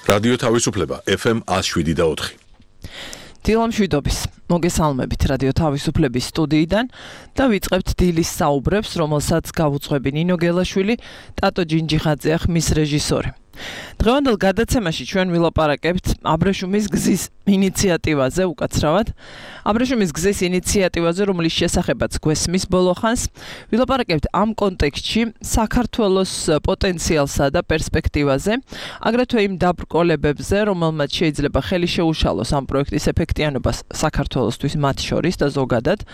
რადიო თავისუფლება FM 107.4. დილამ შვიდობის. მოგესალმებით რადიო თავისუფლების სტუდიიდან და ვიწყებთ დილის საუბრებს, რომელსაც გავუძღვები ნინო გელაშვილი, ტატო ჯინჯიხაძე ხმის რეჟისორი. დღევანდელ გადაცემაში ჩვენ ვილაპარაკებთ აბრეშუმის გზის ინიციატივაზე უკაცრავად. აბრეშუმის გზის ინიციატივაზე, რომლის შესახებაც გვესმის ბოლოხანს, ვილაპარაკებთ ამ კონტექსტში საქართველოს პოტენციალსა და პერსპექტივაზე, აგრეთვე იმ დაბრკოლებებზე, რომელმაც შეიძლება ხელი შეუშალოს ამ პროექტის ეფექტიანობას საქართველოსთვის მათ შორის და ზოგადად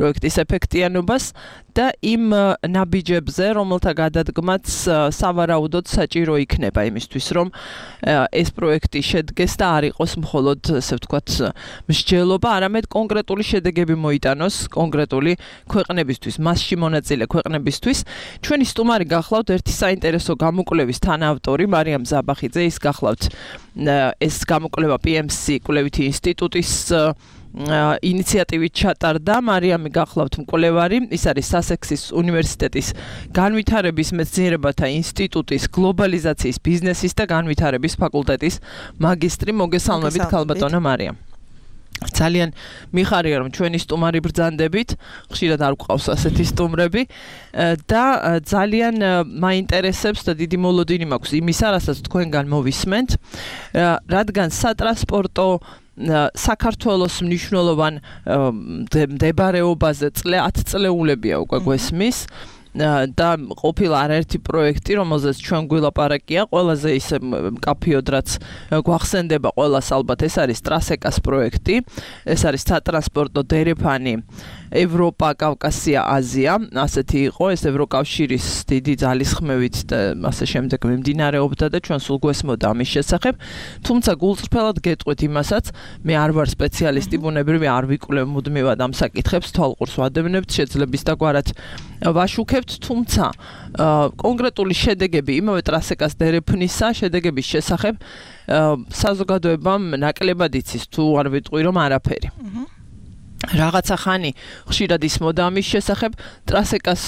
პროექტის ეფექტიანობას და იმ ნაბიჯებზე, რომელთა გადადგმაც სავარაუდოდ საჭირო იქნება იმისთვის, რომ ეს პროექტი შედგეს და არ იყოს მხოლოდ, ასე ვთქვათ, მსჯელობა, არამედ კონკრეტული შედეგები მოიტანოს კონკრეტული ქვეყნებისთვის, მასში მონაწილე ქვეყნებისთვის. ჩვენი სტუმარი გახლავთ ერთი საინტერესო გამოკვლევის თანაავტორი მარიამ ზაბახიძე, ის გახლავთ ეს გამოკვლევა PMC კვლევითი ინსტიტუტის ინიციატივით ჩატარდა. მარიამი გახლავთ მკვლევარი, ის არის სასექსის უნივერსიტეტის განვითარების მეცნიერებათა ინსტიტუტის გლობალიზაციის ბიზნესის და განვითარების ფაკულტეტის მაგისტრი. მოგესალმებით ქალბატონო მარიამ. ძალიან მიხარია რომ ჩვენი სტუმარი ბრძანდებით, ხშირად არ გვყავს ასეთი სტუმრები და ძალიან მაინტერესებს და დიდი მოლოდინი მაქვს იმისა, რასაც თქვენგან მოვისმენთ, რადგან სატრანსპორტო საქართველოს მნიშვნელოვან მდებარეობაზე 10 წლეულებია უკვე გვესმის და ყოფილა არაერთი პროექტი, რომელზეც ჩვენ გვილაპარაკია, ყველაზე ისე მკაფიოდ რაც გვახსენდება ყველას ალბათ ეს არის ტრასეკას პროექტი, ეს არის სატრანსპორტო დერეფანი ევროპა, კავკასია, აზია, ასეთი იყო, ეს ევროკავშირის დიდი ძალისხმევით და ასე შემდეგ მიმდინარეობდა და ჩვენ სულ გვესმოდა ამის შესახებ, თუმცა გულწრფელად გეტყვით იმასაც, მე არ ვარ სპეციალისტი, ბუნებრივი არ ვიკვლევ მუდმივად ამ საკითხებს, თვალყურს ვადევნებთ, შეძლებს და გვარად ვაშუქებთ, თუმცა კონკრეტული შედეგები იმავე ტრასეკას დერეფნისა შედეგების შესახებ საზოგადოებამ ნაკლებად იცის, თუ არ ვიტყვი რომ არაფერი. რაღაცა ხანი ხშირად ისმოდა ამის შესახებ, ტრასეკას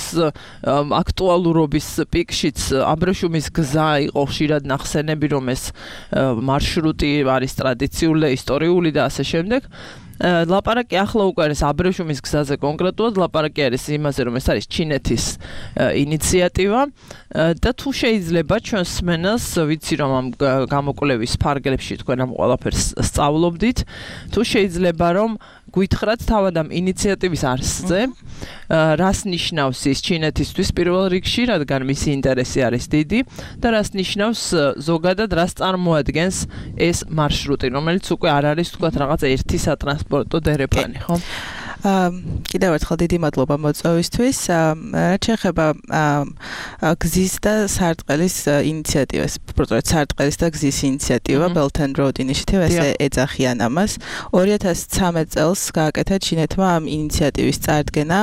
აქტუალურობის პიკშიც აბრეშუმის გზა იყო ხშირად ნახსენები, რომ ეს მარშრუტი არის ტრადიციული და ისტორიული და ასე შემდეგ. ლაპარაკი ახლა უკვე არის აბრეშუმის გზაზე კონკრეტულად, ლაპარაკი არის იმაზე, რომ ეს არის ჩინეთის ინიციატივა და თუ შეიძლება ჩვენს სმენელს, ვიცი რომ ამ გამოკვლევის ფარგლებში თქვენ ამ ყველაფერს სწავლობდით, თუ შეიძლება რომ გითხრათ თავად ამ ინიციატივის არსზე, რას ნიშნავს ის ჩინეთისთვის პირველ რიგში, რადგან მისი ინტერესი არის დიდი და რას ნიშნავს ზოგადად, რას წარმოადგენს ეს მარშრუტი, რომელიც უკვე არ არის თქვათ რაღაც ერთი სატრანსპორტო დერეფანი, ხო? კიდევ ერთხელ დიდი მადლობა მოწვევისთვის. რაც შეეხება გზის და სარტყელის ინიციატივას, უბრალოდ სარტყელის და გზის ინიციატივა Belt and Road Initiative, ესე ეძახიან ამას. 2013 წელს გააკეთა ჩინეთმა ამ ინიციატივის წარდგენა.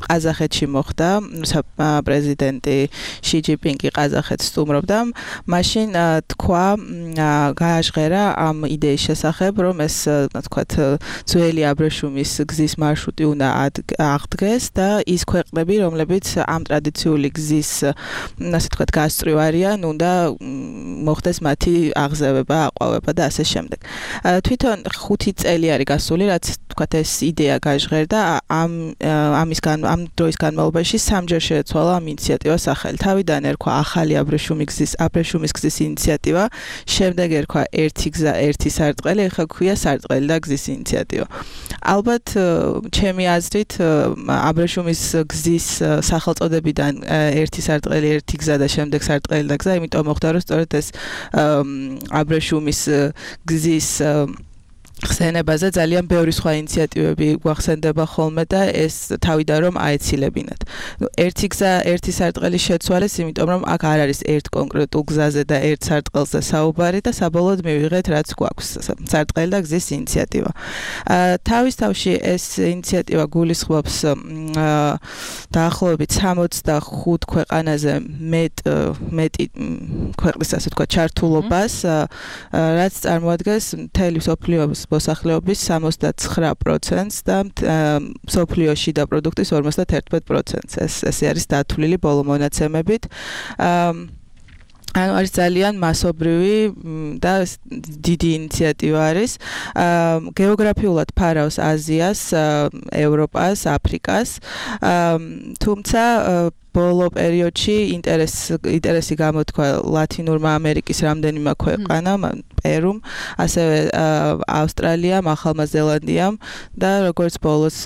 ყაზახეთში მოხდა, პრეზიდენტი ში ჯინპინგი ყაზახეთს სტუმრობდა. მაშინ თქვა, გააჟღერა ამ იდეის შესახებ, რომ ეს, თქვათ, ძველი აბრეშუმის გზის მარშრუტი უნდა აღდგეს და ის ქვეყნები, რომლებიც ამ ტრადიციული გზის, ასე ვთქვათ, გასწვრივ არიან, უნდა მოხდეს მათი აღზევება, აყვავება და ასე შემდეგ. თვითონ 5 წელი არის გასული, რაც ვთქვათ, ეს იდეა გაჟღერდა, ამ დროის განმავლობაში სამჯერ შეეცვალა ამ ინიციატივას სახელი. თავიდან ერქვა ახალი აბრეშუმის გზის ინიციატივა, შემდეგ ერქვა ერთი გზა, ერთი სარტყელი, ახლა ქვია სარტყელი და გზის ინიციატივა. ალბათ ჩემი აზრით აბრეშუმის გზის სახელწოდებიდან ერთი სარტყელი, ერთი გზა და შემდეგ სარტყელი და გზა, იმიტომ მოხდა რომ სწორედ ეს აბრეშუმის გზის ხსენებაზე ძალიან ბევრი სხვა ინიციატივები გვახსენდება ხოლმე და ეს თავიდან რომ აეცილებინათ. ერთი გზა, ერთი სარტყელი შეცვალეს, იმიტომ რომ აქ არ არის ერთ კონკრეტულ გზაზე და ერთ სარტყელზე საუბარი და საბოლოოდ მივიღეთ რაც გვაქვს, სარტყელი და გზის ინიციატივა. თავის თავში ეს ინიციატივა გულისხმობს დაახლოებით 65 ქვეყანაზე მეტი ქვეყნის, ასე ვთქვათ, ჩართულობას, რაც წარმოადგენს მთელი მსოფლიოს მოსახლეობის 69%-ს და მსოფლიოში და პროდუქტის 51%-ს. ესე არის დათვლილი ბოლო მონაცემებით. ანუ არის ძალიან მასობრივი და დიდი ინიციატივა არის. გეოგრაფიულად ფარავს აზიას, ევროპას, აფრიკას. თუმცა ბოლო პერიოდში ინტერესი გამოთქვა ლათინურმა ამერიკის რამდენიმე ქვეყანამ, პერუმ, ასევე ავსტრალიამ, ახალმა ზელანდიამ და როგორც ბოლოს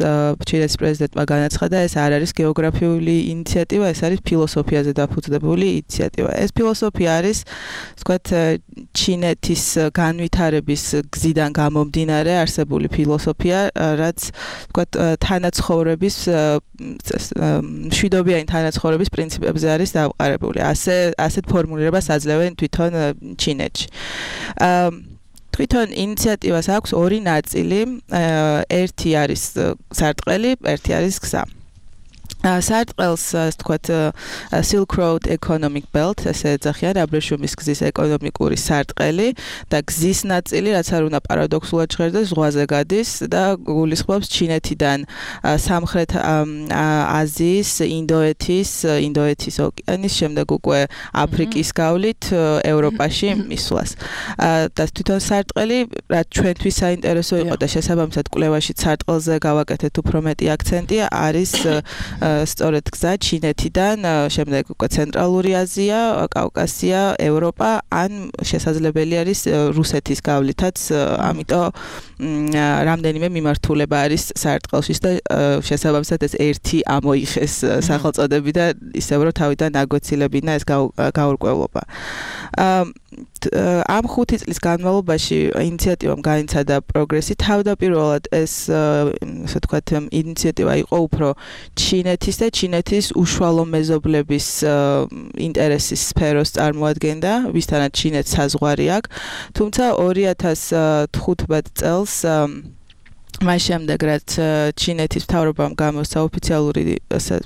ჩინეთის პრეზიდენტმა განაცხადა, ეს არ არის გეოგრაფიული ინიციატივა, ეს არის ფილოსოფიაზე დაფუძნებული ინიციატივა. ეს ფილოსოფია არის, ვთქვათ, ჩინეთის განვითარების გზიდან გამომდინარე არსებული ფილოსოფია, რაც ვთქვათ, თანაცხოვრების მშვიდობიანი ცხოვრების პრინციპებზე არის დავყარებული. ასეთ ფორმულირებას აძლევენ თვითონ ჩინეთში. თვითონ ინიციატივას აქვს ორი ნაწილი. ერთი არის სარტყელი, ერთი არის გზა. სარტყელს, ასე ვთქვათ, Silk Road Economic Belt, ესე ეძახიან აბრეშუმის გზის ეკონომიკური სარტყელი და გზის ნაწილი, რაც არ უნდა პარადოქსულად ჟღერდეს, ზღვაზე გადის და გულისხმობს ჩინეთიდან სამხრეთ აზიის, ინდოეთის ოკეანის, შემდეგ უკვე აფრიკის გავლით ევროპაში მისვლას. და თვითონ სარტყელი, რაც ჩვენთვის საინტერესო იყო და შესაბამისად კვლევაში სარტყელზე გავაკეთეთ უფრო მეტი აქცენტი, არის სწორედ გზა ჩინეთიდან, შემდეგ უკვე ცენტრალური აზია, კავკასია, ევროპა, ან შესაძლებელი არის რუსეთის გავლითაც, ამიტომ რამდენიმე მიმართულება არის სარტყელში და შესაბამისად ეს ერთი ამოიხეს სახელწოდები და ისევ რომ თავიდან აგვეცილებინა ეს გაურკვევლობა. ამ 5 წლის განმავლობაში ინიციატივამ განიცადა პროგრესი. თავდაპირველად ეს, ასე ვთქვათ, ინიციატივა იყო უფრო ჩინეთის და ჩინეთის უშუალო მეზობლების ინტერესის სფეროს წარმოადგენდა, ვისთანაც ჩინეთს საზღვარი აქვს. თუმცა 2015 წელს მას შემდეგ, რაც ჩინეთის მთავრობამ გამოსცა ოფიციალური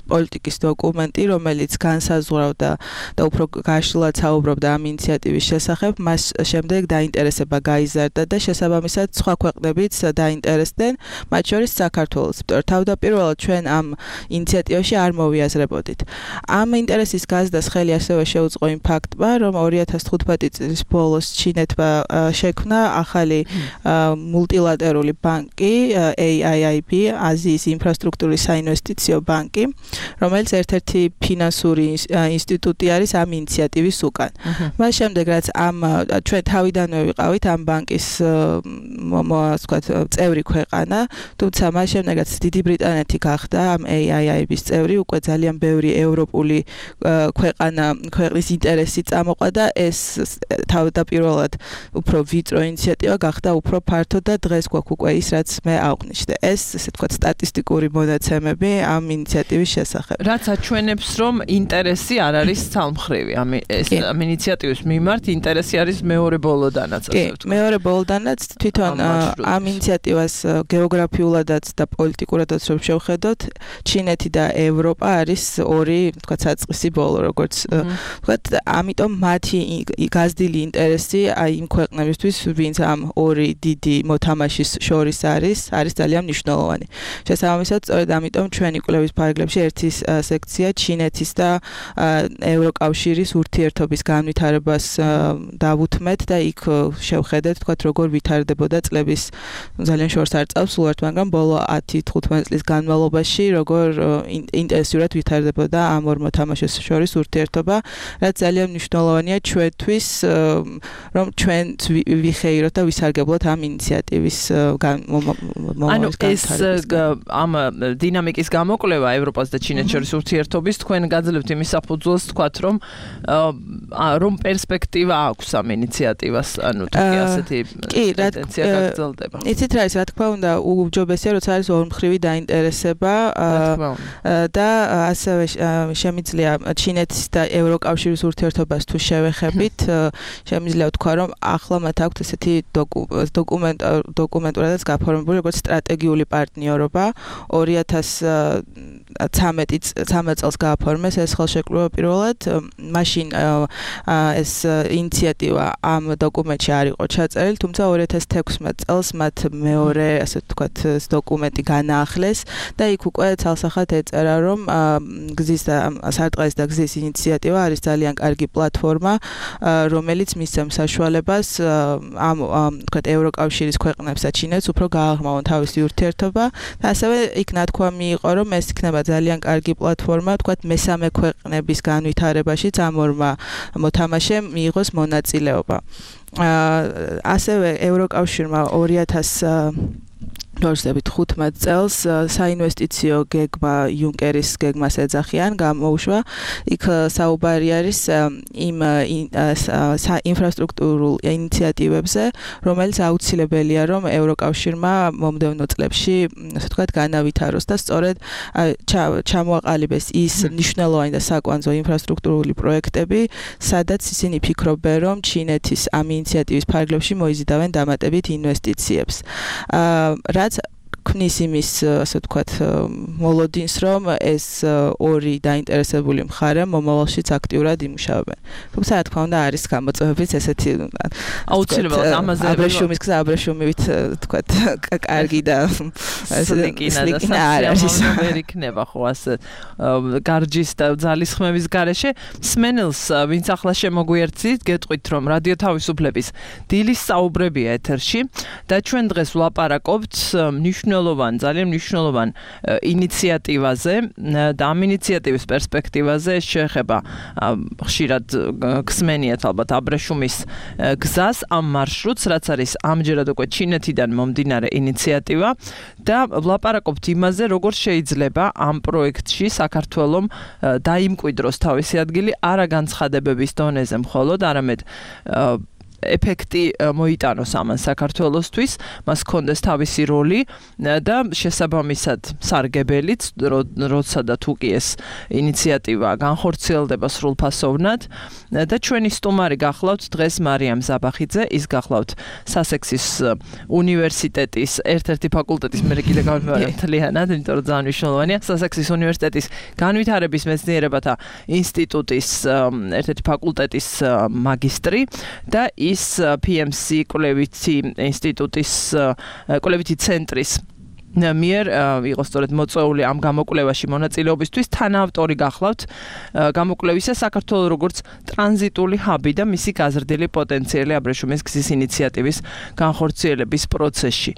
პოლიტიკის დოკუმენტი, რომელიც განსაზღვრავდა და უფრო გაშლილად საუბრობდა ამ ინიციატივის შესახებ, მას შემდეგ დაინტერესება გაიზარდა და შესაბამისად სხვა ქვეყნებიც დაინტერესდნენ, მათ შორის საქართველოს. თავდაპირველად ჩვენ ამ ინიციატივაში არ მოვიაზრებოდით. ამ ინტერესის გაზრდას ხელი ასევე შეუწყო იმ ფაქტმა, რომ 2015 წლის ბოლოს ჩინეთმა შექმნა ახალი მულტილატერალური ბანკი, AIIB, აზიის ინფრასტრუქტურის საინვესტიციო ბანკი, რომელიც ერთ-ერთი ფინანსური ინსტიტუტი არის ამ ინიციატივის უკან. მას შემდეგ, რაც ჩვენ თავიდანვე ვიყავით ამ ბანკის წევრი ქვეყანა, თუმცა მას შემდეგ, რაც დიდი ბრიტანეთი გახდა ამ AIIB-ის წევრი, უკვე ძალიან ბევრი ევროპული ქვეყნის ინტერესი წამოყვა და ეს თავდაპირველად უფრო ვიწრო ინიციატივა გახდა უფრო ფართო და დღეს გვაქვს უკვე ის, რაც მე აღვნიშნე. ეს, ესე ვთქვათ, სტატისტიკური მონაცემები ამ ინიციატივის შესახებ. რაც აჩვენებს, რომ ინტერესი არ არის ცალმხრივი. ამ ინიციატივის მიმართ ინტერესი არის მეორე ბოლოდანაც, ასე ვთქვათ. მეორე ბოლოდანაც თვითონ ამ ინიციატივას გეოგრაფიულადაც და პოლიტიკურადაც რომ შევხედოთ, ჩინეთი და ევროპა არის ორი, ვთქვათ, საწყისი ბოლო, როგორც ვთქვათ, ამიტომ მათი გაზრდილი ინტერესი იმ ქვეყნებისთვის, ვინც ამ ორი დიდი მოთამაშის შორის არის ძალიან მნიშვნელოვანი. შესაბამისად, სწორედ ამიტომ ჩვენი კვლევის ფარგლებში ერთი სექცია ჩინეთის და ევროკავშირის ურთიერთობის განვითარებას დავუთმეთ და იქ შევხედეთ, თქვათ, როგორ ვითარდებოდა წლების ძალიან შორს არ წავს უართ, მაგრამ ბოლო 10-15 წლის განმავლობაში როგორ ინტენსიურად ვითარდებოდა ამ ორ მოთამაშეს შორის ურთიერთობა, რაც ძალიან მნიშვნელოვანია ჩვენთვის, რომ ჩვენ ვიხეიროთ და ვისარგებლოთ ამ ინიციატივის ანუ ეს ამ დინამიკის გამოკვლევა ევროპას და ჩინეთს შორის ურთიერთობის თქვენ გაძლევთ იმის საფუძველს, თქვათ, რომ პერსპექტივა აქვს ამ ინიციატივას, ანუ თუ კი ასეთი ტენდენცია გაგრძელდება. იცით რა ის, რა თქმა უნდა, უჯობესია, როცა არის ორმხრივი დაინტერესება და ასევე შემიძლია ჩინეთის და ევროკავშირის ურთიერთობას თუ შევეხებით, შემიძლია ვთქვა, რომ ახლა მათ აქვთ ესეთი დოკუმენტურადაც გაფორმებული, როგორც სტრატეგიული პარტნიორობა 2000 13 წელს გააფორმეს ეს ხელშეკრულება პირველად, მაშინ ეს ინიციატივა ამ დოკუმენტში არ იყო ჩაწერილი, თუმცა 2016 წელს მათ მეორე, ასე ვთქვათ, დოკუმენტი განაახლეს და იქ უკვე ცალსახად ეწერა, რომ გზის და სარტყელის და გზის ინიციატივა არის ძალიან კარგი პლატფორმა, რომელიც მისცემს საშუალებას ამ ვთქვათ ევროკავშირის ქვეყნებს და ჩინეთს უფრო გააღრმავონ თავისი ურთიერთობა და ასევე იქ ნათქვამი იყო, რომ ეს იქნება ძალიან კარგი პლატფორმა, ვთქვათ მესამე ქვეყნების განვითარებაშიც ამ ორმა მოთამაშემ მიიღოს მონაწილეობა. ასევე ევროკავშირმა 2015 წელს საინვესტიციო გეგმა იუნკერის გეგმას ეძახიან, გამოუშვა. იქ საუბარი არის იმ ინფრასტრუქტურულ ინიციატივებზე, რომელიც აუცილებელია, რომ ევროკავშირმა მომდევნო წლებში, ასე ვთქვათ, განავითაროს და სწორედ ჩამოაყალიბეს ის მნიშვნელოვანი და საკვანძო ინფრასტრუქტურული პროექტები, სადაც ისინი ფიქრობენ, რომ ჩინეთის ამ ინიციატივის ფარგლებში მოიზიდავენ დამატებით ინვესტიციებს. რაც ქმნის იმის, ასე ვთქვათ, მოლოდინს, რომ ეს ორი დაინტერესებული მხარე მომავალშიც აქტიურად იმუშავებენ. თუმცა, რა თქმა უნდა, არის გამოწვევებიც ესეთი აუცილებლად ამაზე აბრეშუმის გზა აბრეშუმივით, ვთქვათ, კარგი და სლიკინა არის. ვერ იქნება ხო ასე გარჯის და ძალისხმევის გარეშე. მსმენელს, ვინც ახლა შემოგვიერთდით, გეტყვით, რომ რადიო თავისუფლების დილის საუბრებია ეთერში და ჩვენ დღეს ვლაპარაკობთ ძალიან მნიშვნელოვან ინიციატივაზე და ამ ინიციატივის პერსპექტივაზე შეეხება ხშირად გსმენიათ ალბათ აბრეშუმის გზას, ამ მარშრუტს, რაც არის ამჯერად უკვე ჩინეთიდან მომდინარე ინიციატივა და ვლაპარაკობთ იმაზე, როგორ შეიძლება ამ პროექტში საქართველომ დაიმკვიდროს თავისი ადგილი არა განცხადებების დონეზე მხოლოდ, არამედ ეფექტი მოიტანოს ამან საქართველოსთვის, მას ჰქონდეს თავისი როლი და შესაბამისად სარგებელიც, როცა და თუ კი ეს ინიციატივა განხორციელდება სრულფასოვნად და ჩვენი სტუმარი გახლავთ დღეს მარიამ ზაბახიძე, ის გახლავთ სასექსის უნივერსიტეტის ერთ-ერთი ფაკულტეტის, მე კიდე გავიმეორე მთლიანად, იმიტომ რომ ძალიან მნიშვნელოვანია, სასექსის უნივერსიტეტის განვითარების მეცნიერებათა ინსტიტუტის ერთ-ერთი ფაკულტეტის მაგისტრი და ის PMC კვლევითი ინსტიტუტის კვლევითი ცენტრის მიერ იყო სწორედ მოწვეული ამ გამოკვლევაში მონაწილეობისთვის, თანაავტორი გახლავთ გამოკვლევისა საქართველოს როგორც ტრანზიტული ჰაბი და მისი გაზრდილი პოტენციალი აბრეშუმის გზის ინიციატივის განხორციელების პროცესში.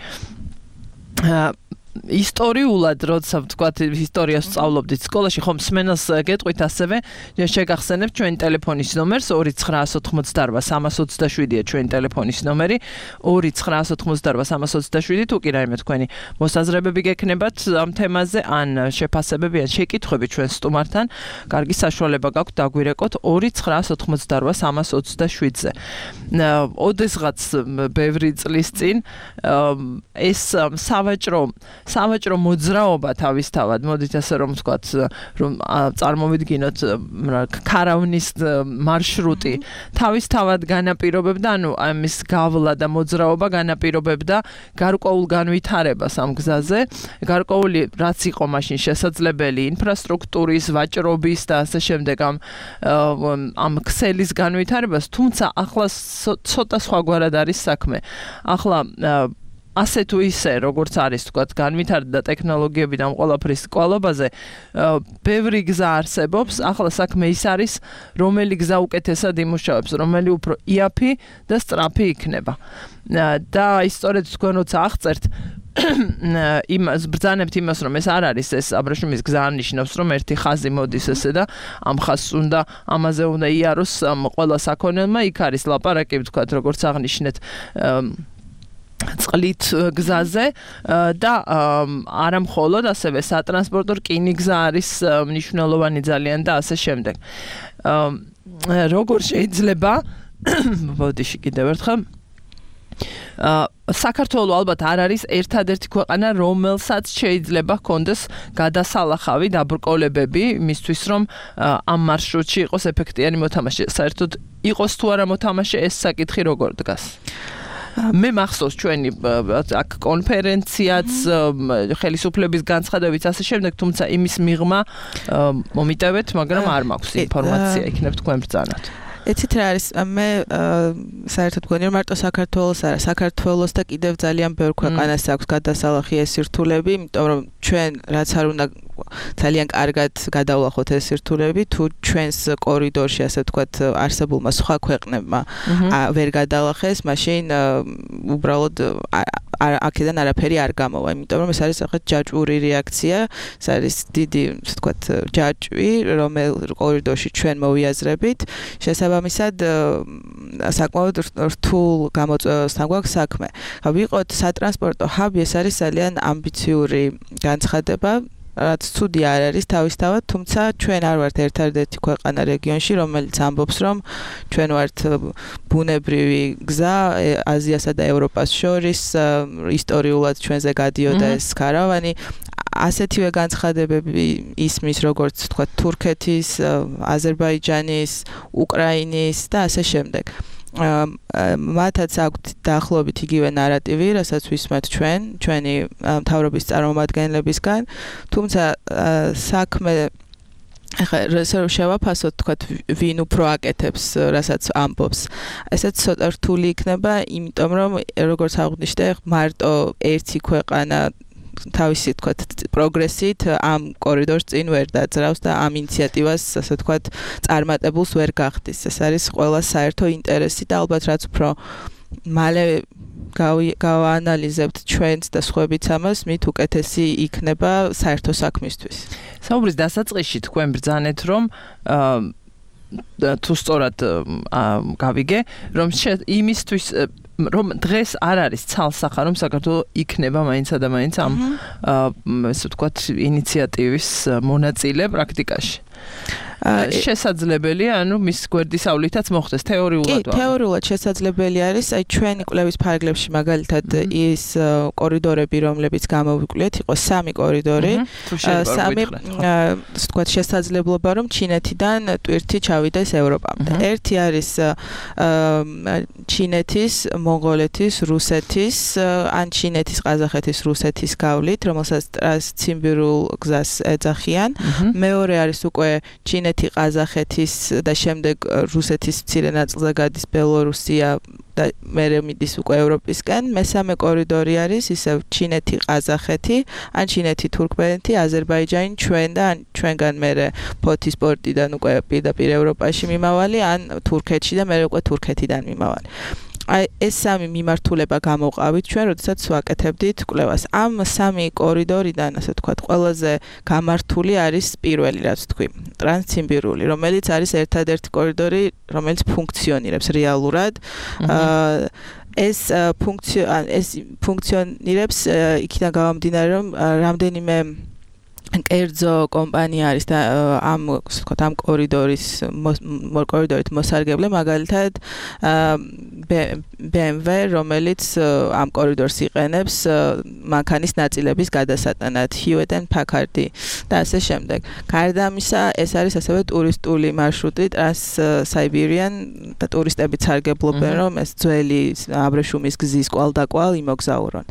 ისტორიულად, როცა ვთქვათ, ისტორიას სწავლობდით სკოლაში, ხომ მსმენელს გეტყვით ასევე, შეგახსენებთ ჩვენი ტელეფონის ნომერს 2988327-ია ჩვენი ტელეფონის ნომერი, 2988327, თუ კი რაიმე თქვენი მოსაზრებები გექნებათ ამ თემაზე, ან შეფასებები, ან შეკითხვები ჩვენ სტუმართან, კარგი საშუალება გაქვთ დაგვირეკოთ 2988327-ზე. ოდესღაც ბევრი წლის წინ ეს სავაჭრო მოძრაობა თავისთავად, მოდით ასე რომ ვთქვათ, რომ წარმოვიდგინოთ ქარავნის მარშრუტი თავისთავად განაპირობებდა, ანუ ამის გავლა და მოძრაობა განაპირობებდა გარკვეულ განვითარებას ამ გზაზე, გარკვეული რაც იყო მაშინ შესაძლებელი ინფრასტრუქტურის, ვაჭრობის და ასე შემდეგ ამ ქსელის განვითარებას, თუმცა ახლა ცოტა სხვაგვარად არის საქმე. ახლა ასე თუ ისე, როგორც არის, თქვათ, განვითარდა ტექნოლოგიები და ამ ყველაფრის კვალობაზე, ბევრი გზა არსებობს, ახლა საქმე ის არის, რომელი გზა უკეთესად იმუშავებს, რომელი უფრო იაფი და სწრაფი იქნება. და ისტორიად თქვენ როცა აღწერთ, იმას ბრძანებთ იმას, რომ ეს არ არის ეს აბრეშუმის გზა ნიშნავს, რომ ერთი ხაზი მოდის ესე და ამ ხაზს უნდა ამაზე უნდა იაროს ყველა საქონელმა, იქ არის ლაპარაკი, თქვათ, როგორც აღნიშნეთ წყლით გზაზე და არა მხოლოდ ასევე სატრანსპორტო რკინიგზა არის მნიშვნელოვანი ძალიან და ასე შემდეგ. როგორ შეიძლება ბოდიში კიდევ ერთხელ საქართველო ალბათ არ არის ერთადერთი ქვეყანა, რომელსაც შეიძლება ჰქონდეს გადასალახავი დაბრკოლებები იმისთვის, რომ ამ მარშრუტში იყოს ეფექტიანი მოთამაშე. საერთოდ იყოს თუ არა მოთამაშე, ეს საკითხი როგორ დგას? მე მახსოვს ჩვენი აქ კონფერენციაც ხელისუფლების განცხადებიც ასე შემდეგ, თუმცა იმის მიღმა მომიტევეთ, მაგრამ არ მაქვს ინფორმაცია, იქნებ თქვენ ბრძანოთ. ეცით რა არის მე საერთოდ გქონია მარტო საქართველოს არა საქართველოს და კიდევ ძალიან ბევრ ქვეყანას აქვს გადასალახი ეს სირთულები, იმიტომ რომ ჩვენ რაც არ უნდა ძალიან კარგად გადავლახოთ ეს სირთულები, თუ ჩვენს კორიდორში ასე ვთქვათ არსებულმა სხვა ქვეყნებმა ვერ გადალახეს, მაშინ უბრალოდ აქედან არაფერი არ გამოვა, იმიტომ რომ ეს არის ახლა ჯაჭვური რეაქცია, ეს არის დიდი, ასე ვთქვათ, ჯაჭვი, რომელ კორიდორში ჩვენ მოვიაზრებით, შესაბამისად საკმაოდ რთულ გამოწვევასთან გვაქვს საქმე. ვიყოთ სატრანსპორტო ჰაბი, ეს არის ძალიან ამბიციური განცხადება. რაც ცუდი არ არის თავისთავად, თუმცა ჩვენ არ ვართ ერთადერთი ქვეყანა რეგიონში, რომელიც ამბობს, რომ ჩვენ ვართ ბუნებრივი გზა აზიასა და ევროპას შორის, ისტორიულად ჩვენზე გადიოდა ეს კარავანი. ასეთივე განცხადებები ისმის, როგორც თქვა თურქეთის, აზერბაიჯანის, უკრაინის და ასე შემდეგ. მათაც აქვთ დაახლოებით იგივე ნარატივი, რასაც ვისმენთ ჩვენი მთავრობის წარმომადგენლებისგან, თუმცა საქმე ახლა შევაფასოთ, თქვათ, ვინ უფრო აკეთებს, რასაც ამბობს. ესეც ცოტა რთული იქნება, იმიტომ რომ როგორც აღვნიშნე, მარტო ერთი ქვეყანა თავისი თქვათ პროგრესით ამ კორიდორს წინ ვერ დაძრავს და ამ ინიციატივას ასე თქვათ წარმატებულს ვერ გახდის. ეს არის ყველას საერთო ინტერესი და ალბათ რაც უფრო მალე გავაანალიზებთ ჩვენს და სხვებიც ამას, მით უკეთესი იქნება საერთო საქმისთვის. საუბრის დასაწყისში თქვენ ბრძანეთ, რომ თუ სწორად გავიგე, რომ იმისთვის რომ დღეს არ არის ცალსახა, რომ საქართველოს იქნება მაინცა და მაინც ამ ესე ვთქვათ ინიციატივის მონაწილე პრაქტიკაში. შესაძლებელია, ანუ მის გვერდისავლითაც მოხდეს თეორიულად. კი, თეორიულად შესაძლებელი არის, აი ჩვენი კვლევის ფარგლებში მაგალითად ის კორიდორები, რომლებიც გამოვიკვლიეთ, იყო 3 კორიდორი, 3 ვთქვათ შესაძლებლობა, რომ ჩინეთიდან ტვირთი ჩავიდეს ევროპამდე. ერთი არის ჩინეთის, მონღოლეთის, რუსეთის, ან ჩინეთის, ყაზახეთის, რუსეთის გავლით, რომელსაც ტრანსციმბირულ გზას ეძახიან. მეორე არის უკვე ჩინეთი, ყაზახეთის და შემდეგ რუსეთის მცირე ნაწილზე გადის ბელორუსია და მერე მიდის უკვე ევროპისკენ. მესამე კორიდორი არის ისევ ჩინეთი, ყაზახეთი, ან ჩინეთი, თურქმენეთი, აზერბაიჯანი, ჩვენ და ან ჩვენგან მერე ფოთის პორტიდან უკვე პირდაპირ ევროპაში მიმავალი, ან თურქეთში და მერე უკვე თურქეთიდან მიმავალი. აი ეს 3 მიმართულება გამოვყავით ჩვენ, როდესაც ვაკეთებდით კვლევას. ამ 3 კორიდორიდან, ასე ვთქვათ, ყველაზე გამართული არის პირველი, რაც თქვი, ტრანსციმბირული, რომელიც არის ერთადერთი კორიდორი, რომელიც ფუნქციონირებს რეალურად. ეს ფუნქციონირებს იქიდან გამომდინარე, რომ რამდენიმე კერძო კომპანია არის და ამ კორიდორით მოსარგებლე, მაგალითად BMW, რომელიც ამ კორიდორს იყენებს მანქანის ნაწილების გადასატანად, Hewlett and Packard და ასე შემდეგ. გარდა ამისა, ეს არის ასევე ტურისტული მარშრუტი, Trans-Siberian და ტურისტებიც სარგებლობენ, რომ ეს ძველი აბრეშუმის გზის კვალდაკვალ იმოგზაურონ.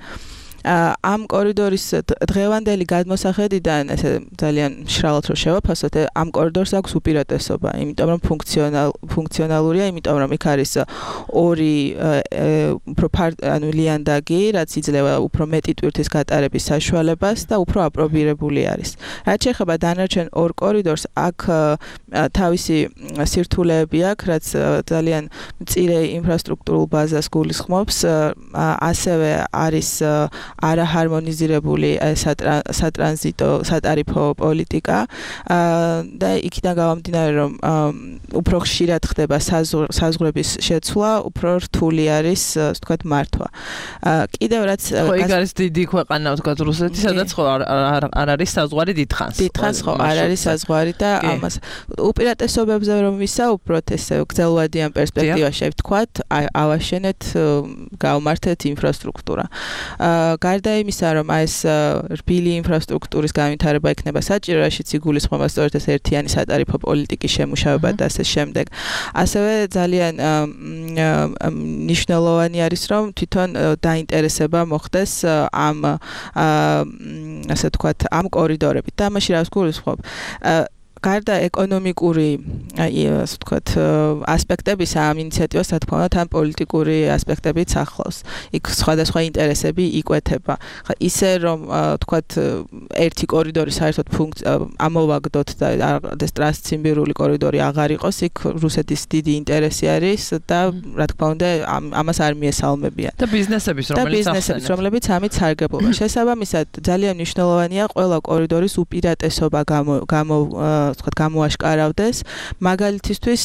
ამ კორიდორის დღევანდელი გადმოსახედიდან ესე ძალიან მშრალად რო შევაფასოთ, ამ კორიდორს აქვს უპირატესობა, იმიტომ რომ ფუნქციონალურია, იმიტომ რომ იქ არის 2 უფრო ლიანდაგი, რაც იძლევა უფრო მეტი ტვირთის გატარების საშუალებას და უფრო აპრობირებული არის. რაც შეეხება დანარჩენ 2 კორიდორს, აქ თავისი სირთულეები აქვს, რაც ძალიან მწირე ინფრასტრუქტურულ ბაზას გულისხმობს, ასევე არის არაჰარმონიზირებული სატრანზიტო პოლიტიკა და იქიდან გამომდინარე, რომ უფრო ხშირად ხდება საზღვრების შეცვლა, უფრო რთული არის, ვთქვათ, მართვა. კიდევ რაც იქ არის დიდი ქვეყანა, ვთქვათ, რუსეთი, სადაც ხო არ არის საზღვარი დიდხანს. დიდხანს ხო არ არის საზღვარი და ამას უპირატესობებზე რომ ვისაუბროთ, ესე გრძელვადიან პერსპექტივაში, ვთქვათ, ავაშენეთ, გავმართეთ ინფრასტრუქტურა. გარდა იმისა, რომ ეს რბილი ინფრასტრუქტურის განვითარება იქნება საჭირო, რაშიც იგულისხმება სწორედ ეს ერთიანი სატარიფო პოლიტიკის შემუშავება და ასე შემდეგ. ასევე ძალიან მნიშვნელოვანი არის, რომ თვითონ დაინტერესება მოხდეს ამ ასე ვთქვათ, ამ კორიდორებით. და ამაში რას გულისხმობ? გარდა ეკონომიკური, ასე ვთქვათ, ასპექტებისა ამ ინიციატივას, რა თქმა უნდა, თან პოლიტიკური ასპექტებიც ახლავს. იქ სხვადასხვა ინტერესები იკვეთება. ხა ისე რომ ვთქვათ, ერთი კორიდორი საერთოდ ამოვაგდოთ და ეს ტრანსციმბირული კორიდორი აღარ იყოს, იქ რუსეთის დიდი ინტერესი არის და რა თქმა უნდა, ამას არ მიესალმებიან. და ბიზნესების, რომლებიც ამით სარგებლობა. შესაბამისად, ძალიან მნიშვნელოვანია ყველა კორიდორის უპირატესობა გამოაშკარავდეს. მაგალითისთვის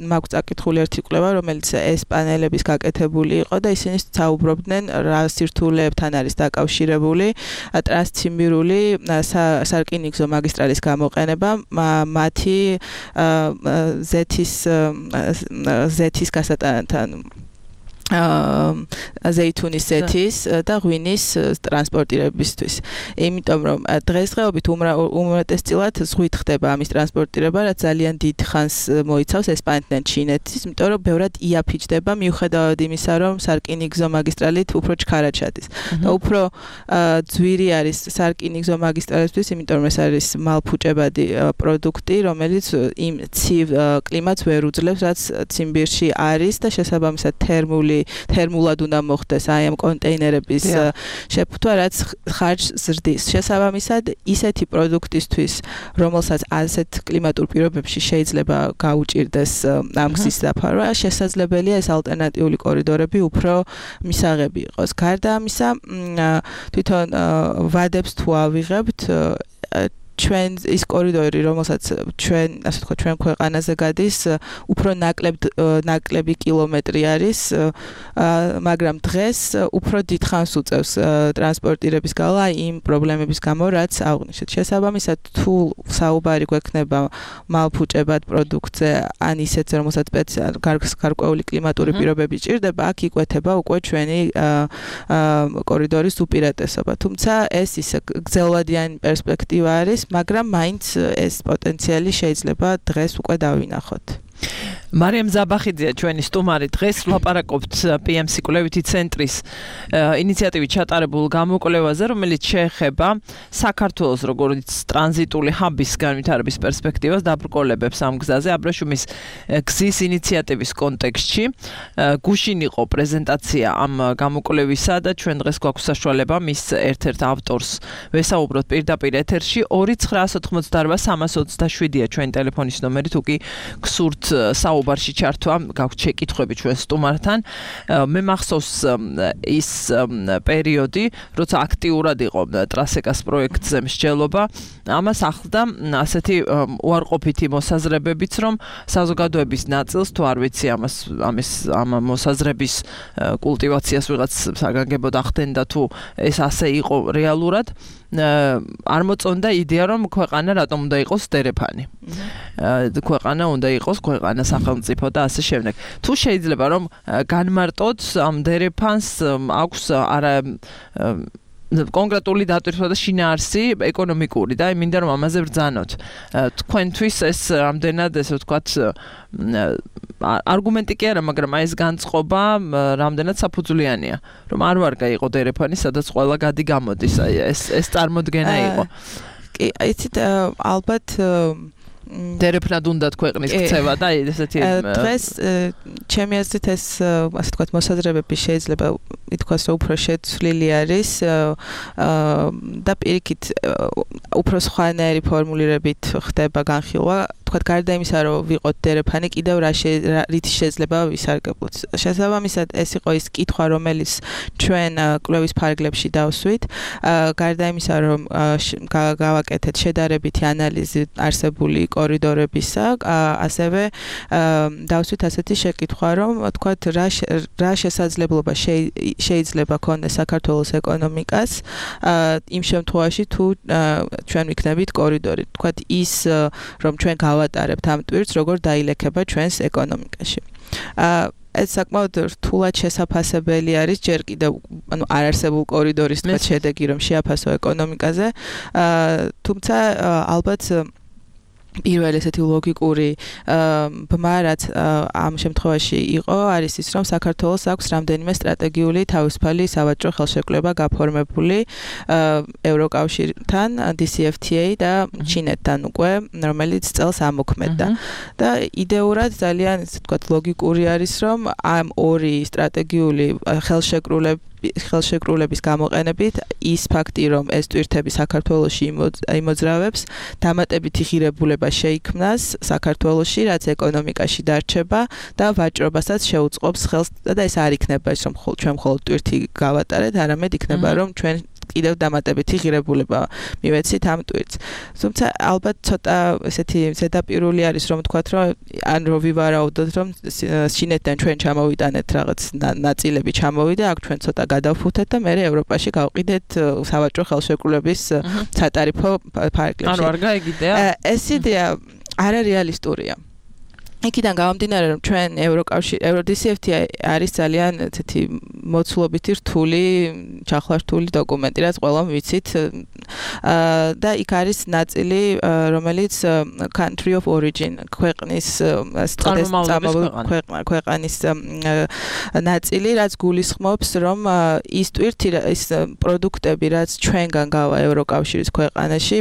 მაქვს წაკითხული ერთი კვლევა, რომელიც ესპანელების გაკეთებული იყო და ისინი საუბრობდნენ რა სირთულეებთან არის დაკავშირებული ტრანსციმბირული სარკინიგზო მაგისტრალის გამოყენება, მათი ზეთის გასატანთან ზეითუნის ზეთის და ღვინის ტრანსპორტირებისთვის. იმიტომ რომ დღესდღეობით უმეტესწილად ზღვით ხდება ამის ტრანსპორტირება, რაც ძალიან დიდ ხანს მოიცავს ესპანეთიდან ჩინეთის, იმიტომ რომ ბევრად იაფიჩდება მიუხედავად იმისა, რომ სარკინიგზო მაგისტრალით უფრო ჩქარა ჩადის. და უფრო ძვირი არის სარკინიგზო მაგისტრალისთვის, იმიტომ რომ ეს არის მალფუჭებადი პროდუქტი, რომელიც იმ ცივ კლიმატს ვერ უძლებს, რაც ციმბირში არის და შესაბამისად თერმულად უნდა მოხდეს აი ამ კონტეინერების შეფუთვა, რაც ხარჯს ზრდის. შესაბამისად, ისეთი პროდუქტისთვის, რომელსაც ასეთ კლიმატურ პირობებში შეიძლება გაუჭირდეს ამ გზის დაფარვა, შესაძლებელია ეს ალტერნატიული კორიდორები უფრო მისაღები იყოს. გარდა ამისა, თვითონ ვადებს თუ ავიღებთ, ჩვენ ის კორიდორი, რომელსაც ჩვენ, ასე ვთქვათ, ჩვენ ქვეყანაზე გადის, უფრო ნაკლები კილომეტრი არის, მაგრამ დღეს უფრო დიდხანს უწევს ტრანსპორტირების გალა იმ პრობლემების გამო, რაც აღვნიშნეთ. შესაბამისად, თუ საუბარი გვექნება მალფუჭებად პროდუქტზე, ან ისეთზე, რომელსაც გარკვეული კლიმატური პირობები ჭირდება, აქ იკვეთება უკვე ჩვენი კორიდორის უპირატესობა. თუმცა ეს ისე გრძელვადიანი პერსპექტივა არის, მაგრამ მაინც ეს პოტენციალი შეიძლება დღეს უკვე დავინახოთ. მარიამ ზაბახიძეა ჩვენი სტუმარი. დღეს ვლაპარაკობთ PMC კვლევითი ცენტრის ინიციატივით ჩატარებულ გამოკვლევაზე, რომელიც შეეხება საქართველოს როგორც ტრანზიტული ჰაბის განვითარების პერსპექტივას დაბრკოლებებს ამ გზაზე. აბრეშუმის გზის ინიციატივის კონტექსტში გუშინ იყო პრეზენტაცია ამ გამოკვლევისა და ჩვენ დღეს გვაქვს საშუალება მის ერთ-ერთ ავტორს ვესაუბროთ პირდაპირ ეთერში. 2988327-ია ჩვენი ტელეფონის ნომერი, თუ კი გსურთ საუბარში ჩართვა, გაქვთ შეკითხვები ჩვენ სტუმართან. მე მახსოვს ის პერიოდი, როცა აქტიურად იყო ტრასეკას პროექტზე მსჯელობა, ამას ახლდა ასეთი უარყოფითი მოსაზრებებიც, რომ საზოგადოების ნაწილს, თუ არ ვიცი ამ მოსაზრების კულტივაციას ვიღაც საგანგებოდ ახდენდა, თუ ეს ასე იყო რეალურად, არ მოწონდა იდეა, რომ ქვეყანა რატომ უნდა იყოს დერეფანი. ქვეყანა უნდა იყოს ქვეყანა სახელმწიფო და ასე შემდეგ. თუ შეიძლება რომ განმარტოთ ამ დერეფანს აქვს არა კონკრეტული დატვირთვა და შინაარსი ეკონომიკური და მინდა რომ ამაზე ვბრძანოთ. თქვენთვის ეს რამდენად ესე ვთქვათ არგუმენტი კი არა, მაგრამ ეს განწყობა რამდენად საფუძვლიანია, რომ არ ვარ გაიყო დერეფანი, სადაც ყველა გადი გამოდის, ეს წარმოდგენა იყო. კი, იცით, ალბათ დერეფნად უნდათ ქვეყნის ქცევა და ესეთი დღეს ჩემი აზრით ეს ასე ვთქვათ მოსაზრებები შეიძლება ითქვას რომ უფრო შეცვლილი არის და პირიქით უფრო სხვანაირი ფორმულირებით ხდება განხილვა თქვათ გარდა იმისა რომ ვიყოთ დერეფანი კიდევ რით შეიძლება ვისარგებლოთ შესაბამისად ეს იყო ის კითხვა რომელიც ჩვენ კვლევის ფარგლებში დავსვით გარდა იმისა რომ გავაკეთეთ შედარებითი ანალიზი არსებული კორიდორებისა ასევე დავსვით ასეთი შეკითხვა რომ თქვათ რა შესაძლებლობა შეიძლება ქონდეს საქართველოს ეკონომიკას იმ შემთხვევაში თუ ჩვენ ვიქნებით კორიდორი თქვათ ის რომ ჩვენ გავატარებთ ამ ტვირთს როგორ დაილექება ჩვენს ეკონომიკაში ეს საკმაოდ რთულად შესაფასებელი არის ჯერ კიდევ ანუ არ არსებულ კორიდორის თქვა შედეგი რომ შეაფასო ეკონომიკაზე თუმცა ალბათ პირველ ესეთი ლოგიკური ბმა რაც ამ შემთხვევაში იყო არის ის რომ საქართველოს აქვს რამდენიმე სტრატეგიული თავისუფალი სავაჭრო ხელშეკრულება გაფორმებული ევროკავშირთან DCFTA და ჩინეთთან უკვე რომელიც წელს ამოქმედდა და იდეურად ძალიან ესე ვთქვათ ლოგიკური არის რომ ამ ორი სტრატეგიული ხელშეკრულების გამოყენებით ის ფაქტი რომ ეს ტვირთები საქართველოში იმოძრავებს დამატებითი ღირებულება შეიქმნას საქართველოში რაც ეკონომიკაში დარჩება და ვაჭრობასაც შეუწყობს ხელს და ეს არ იქნება ის რომ ჩვენ მხოლოდ ტვირთი გავატარეთ არამედ იქნება რომ ჩვენ კიდევ დამატებითი ღირებულება მივეცით ამ ტვირთს. თუმცა ალბათ ცოტა ესეთი ზედაპირული არის რომ ვთქვათ რომ ან რო ვივარაუდოთ რომ ჩინეთთან ჩვენ ჩამოვიტანეთ რაღაც ნაწილები ჩამოვიდა აქ ჩვენ ცოტა გადავფუთეთ და მე ევროპაში გავყიდეთ სავაჭრო ხელშეკრულების სატარიფო ფარგლებში. ანუ არ გაიგიდეა? ეს იდეა არარეალისტურია. იქიდან გამომდინარე რომ ჩვენ DCFTA არის ძალიან ესეთი მოცულობითი რთული, ჩახლართული დოკუმენტი, რაც ყველამ ვიცით და იქ არის ნაწილი, რომელიც country of origin ქვეყნის ქვეყნის ნაწილი, რაც გულისხმობს, რომ ის ტვირთი, ის პროდუქტები, რაც ჩვენგან გავა ევროკავშირის ქვეყანაში,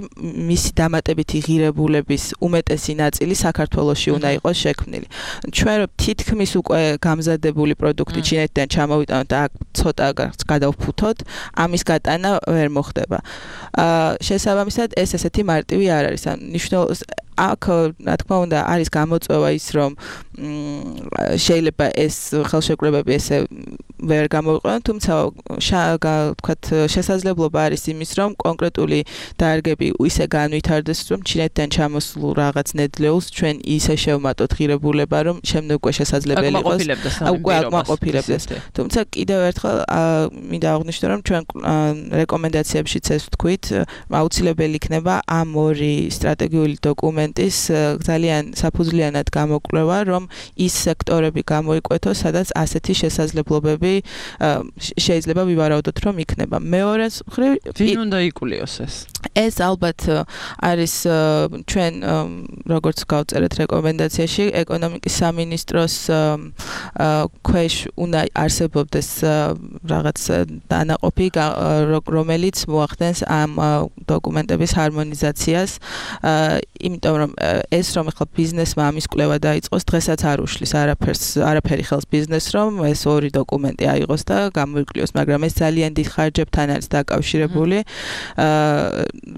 მისი დამატებითი ღირებულების უმეტესი ნაწილი საქართველოში უნდა იყოს შექმნილი. ჩვენ თითქმის უკვე გამზადებული პროდუქტი ჩინეთიდან ჩამოვიტანოთ და აქ ცოტა გადავფუთოთ, ამის გატანა ვერ მოხდება. შესაბამისად ეს ესეთი მარტივი არ არის. აქ რა თქმა უნდა არის გამოწვევა ის რომ შეიძლება ეს ხელშეკრულებები ესე ვერ გამოვიყვანოთ, თუმცა ვთქვათ შესაძლებლობა არის იმის რომ კონკრეტული დარგები ისე განვითარდეს რომ ჩინეთიდან ჩამოსულ რაღაც ნედლეულს ჩვენ ისე შევმატოთ ღირებულება რომ შემდეგ უკვე შესაძლებელი იყოს უკვე აკმაყოფილებდეს. თუმცა კიდევ ერთხელ მინდა აღვნიშნო რომ ჩვენ რეკომენდაციებშიც ეს ვთქვით აუცილებელი იქნება ამ ორი სტრატეგიული დოკუმენტის ძალიან საფუძვლიანად გამოკვლევა რომ ის სექტორები გამოიკვეთოს სადაც ასეთი შესაძლებლობები შეიძლება ვივარაუდოთ რომ იქნება. მეორე მხრივ ვინ უნდა იკულიოს ეს? ეს ალბათ არის ჩვენ როგორც გავწერეთ რეკომენდაციაში ეკონომიკის სამინისტროს ქვეშ უნდა არსებობდეს რაღაც დანაყოფი რომელიც მოახდენს ამ დოკუმენტების ჰარმონიზაციას იმიტომ რომ ეს რომ ახლა ბიზნესმა ამის კვლევა დაიწყოს დღესაც არ უშლის არაფერი ხელს ბიზნესს რომ ეს ორი დოკუმენტი აიღოს და გამოიკვლიოს, მაგრამ ეს ძალიან დიდ ხარჯებთან არის დაკავშირებული,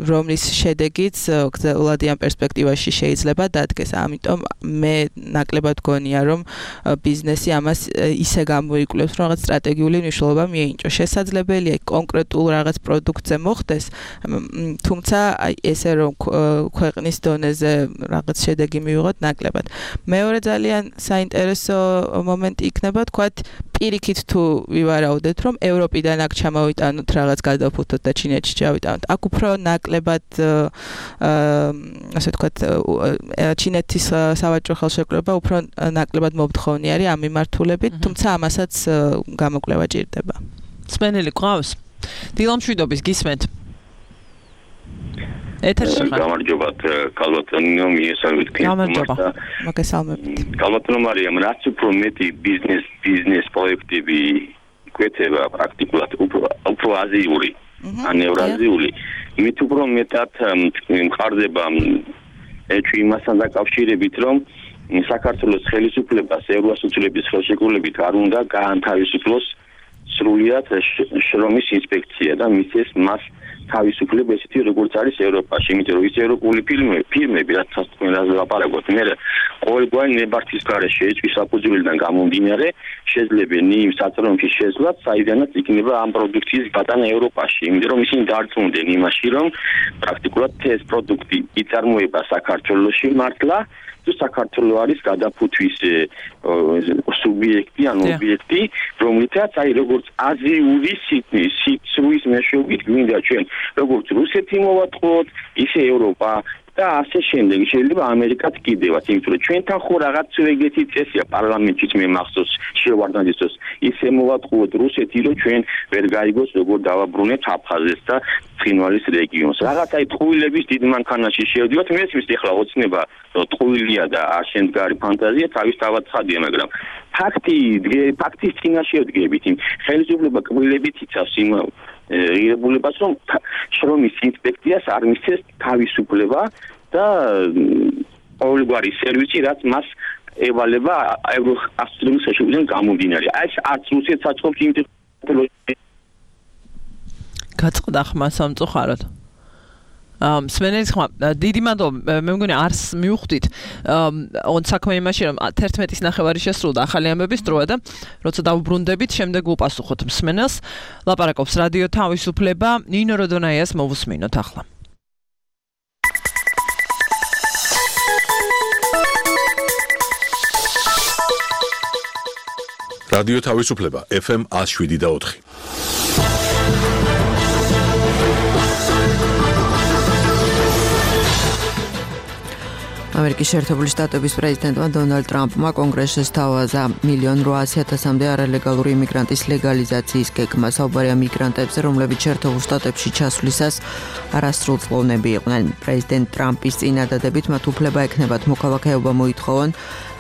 რომლის შედეგიც გრძელვადიან პერსპექტივაში შეიძლება დადგეს. ამიტომ მე ნაკლებად გონია, რომ ბიზნესი ამას ისე გამოიკვლიოს, რომ რაღაც სტრატეგიული მნიშვნელობა მიენიჭოს. შესაძლებელია კონკრეტულ რაღაც პროდუქტზე მოხდეს, თუმცა ესე რომ ქვეყნის დონეზე რაღაც შედეგი მივიღოთ ნაკლებად. მეორე ძალიან საინტერესო მომენტი იქნება, თქვათ პირიქით თუ ვივარაუდეთ, რომ ევროპიდან აქ ჩამოვიტანოთ რაღაც გადავფუთოთ და ჩინეთში ჩავიტანოთ. აქ უფრო ნაკლებად ასე ვთქვათ, ჩინეთის სავაჭრო ხელშეკრულება უფრო ნაკლებად მომთხოვნი არის ამ მიმართულებით, თუმცა ამასაც გამოკვლევა ჭირდება. სპენელი ყავს? დილამშვიდობის გისმენთ. ეთერში ხარ? გამარჯობათ, კალბატონო, მიესალმებით გამარჯობა. მოგესალმებით. კალბატონო მარიამ, რაც უფრო მეტი ბიზნეს პროექტები გვეცევა პრაქტიკულად უფრო აზიური, ან ევრაზიული, იმით უფრო მეტად მყარდება ეჭვი იმასთან დაკავშირებით, რომ საქართველოს ხელისუფლებას ევროასოციაციების ხელშეკრულებით არ უნდა გაანთავისუფლოს სრულიად შრომის ინსპექცია და მისცეს მას თავისუფლება ესეთი როგორც არის ევროპაში, იმიტომ რომ ის ევროპული ფირმები რაც თქვენაზე ლაპარაკობთ, მე ყოველგვარი ნებართვის გარეშე ეჭვის საფუძვლიდან გამომდინარე შეძლებენ იმ საწარმოებში შესვლაც, საიდანაც იქნება ამ პროდუქციის გატანა ევროპაში, იმიტომ რომ ისინი დარწმუნდნენ იმაში, რომ პრაქტიკულად ეს პროდუქტი იწარმოება საქართველოში მართლა თუ საქართველოს არის გადაფუთვის სუბიექტი ან ობიექტი, რომლითაც აი როგორც აზიური სიცრუის მეშვეობით გვინდა ჩვენ როგორც რუსეთი მოვატყუოთ, ისე ევროპა და ასე შემდეგ შეიძლება ამერიკაც კიდევაც იმიტომ რომ ჩვენთან ხო რაღაც ეგეთი წესია პარლამენტშიც მე მახსოვს შევარდნაძის ისე მოვატყუოთ რუსეთი რომ ჩვენ ვერ გაიგოს როგორ დავაბრუნებთ აფხაზეთს და ცხინვალის რეგიონს რაღაც აი ტყუილების დიდ მანქანაში შევდივართ მე ის ეხლა ოცნება რომ ტყუილია და არ შემდგარი ფანტაზია თავისთავად ცხადია მაგრამ ფაქტის წინაშე ვდგებით იმ ხელისუფლება კბილებით იცავს იმ ღირებულებას რომ შრომის ინსპექციას არ მისცეს თავისუფლება და ყოველგვარი სერვისი რაც მას ევალება ევროასტრიის შეშუპიდან გამომდინარე აი არც რუსეთს აწყობს იმ გაწყდა ხმა სამწუხაროდ სმენელის ხმა დიდი მადლობა მე მგონი არს მივხვდით on საქმე იმაში რომ 11-ის ნახევარი შესრულდა ახალი ამბების დროა და როცა დავუბრუნდებით შემდეგ უპასუხოთ მსმენელს ლაპარაკობს რადიო თავისუფლება ნინო როდონაიას მოვუსმინოთ ახლა რადიო თავისუფლება FM 107.4 ამერიკის შეერთებული შტატების პრეზიდენტმა დონალდ ტრამპმა კონგრესში სთავაზა 1,800,000-მდე არალეგალური იმიგრანტის ლეგალიზაციის გეგმა. საუბარია მიგრანტებზე, რომლებიც შეერთებულ შტატებში ჩასვლისას არასრულწლოვნები იყვნენ. პრეზიდენტ ტრამპის წინადადებით მათ უფლება ექნებათ მოქალაქეობა მოითხოვონ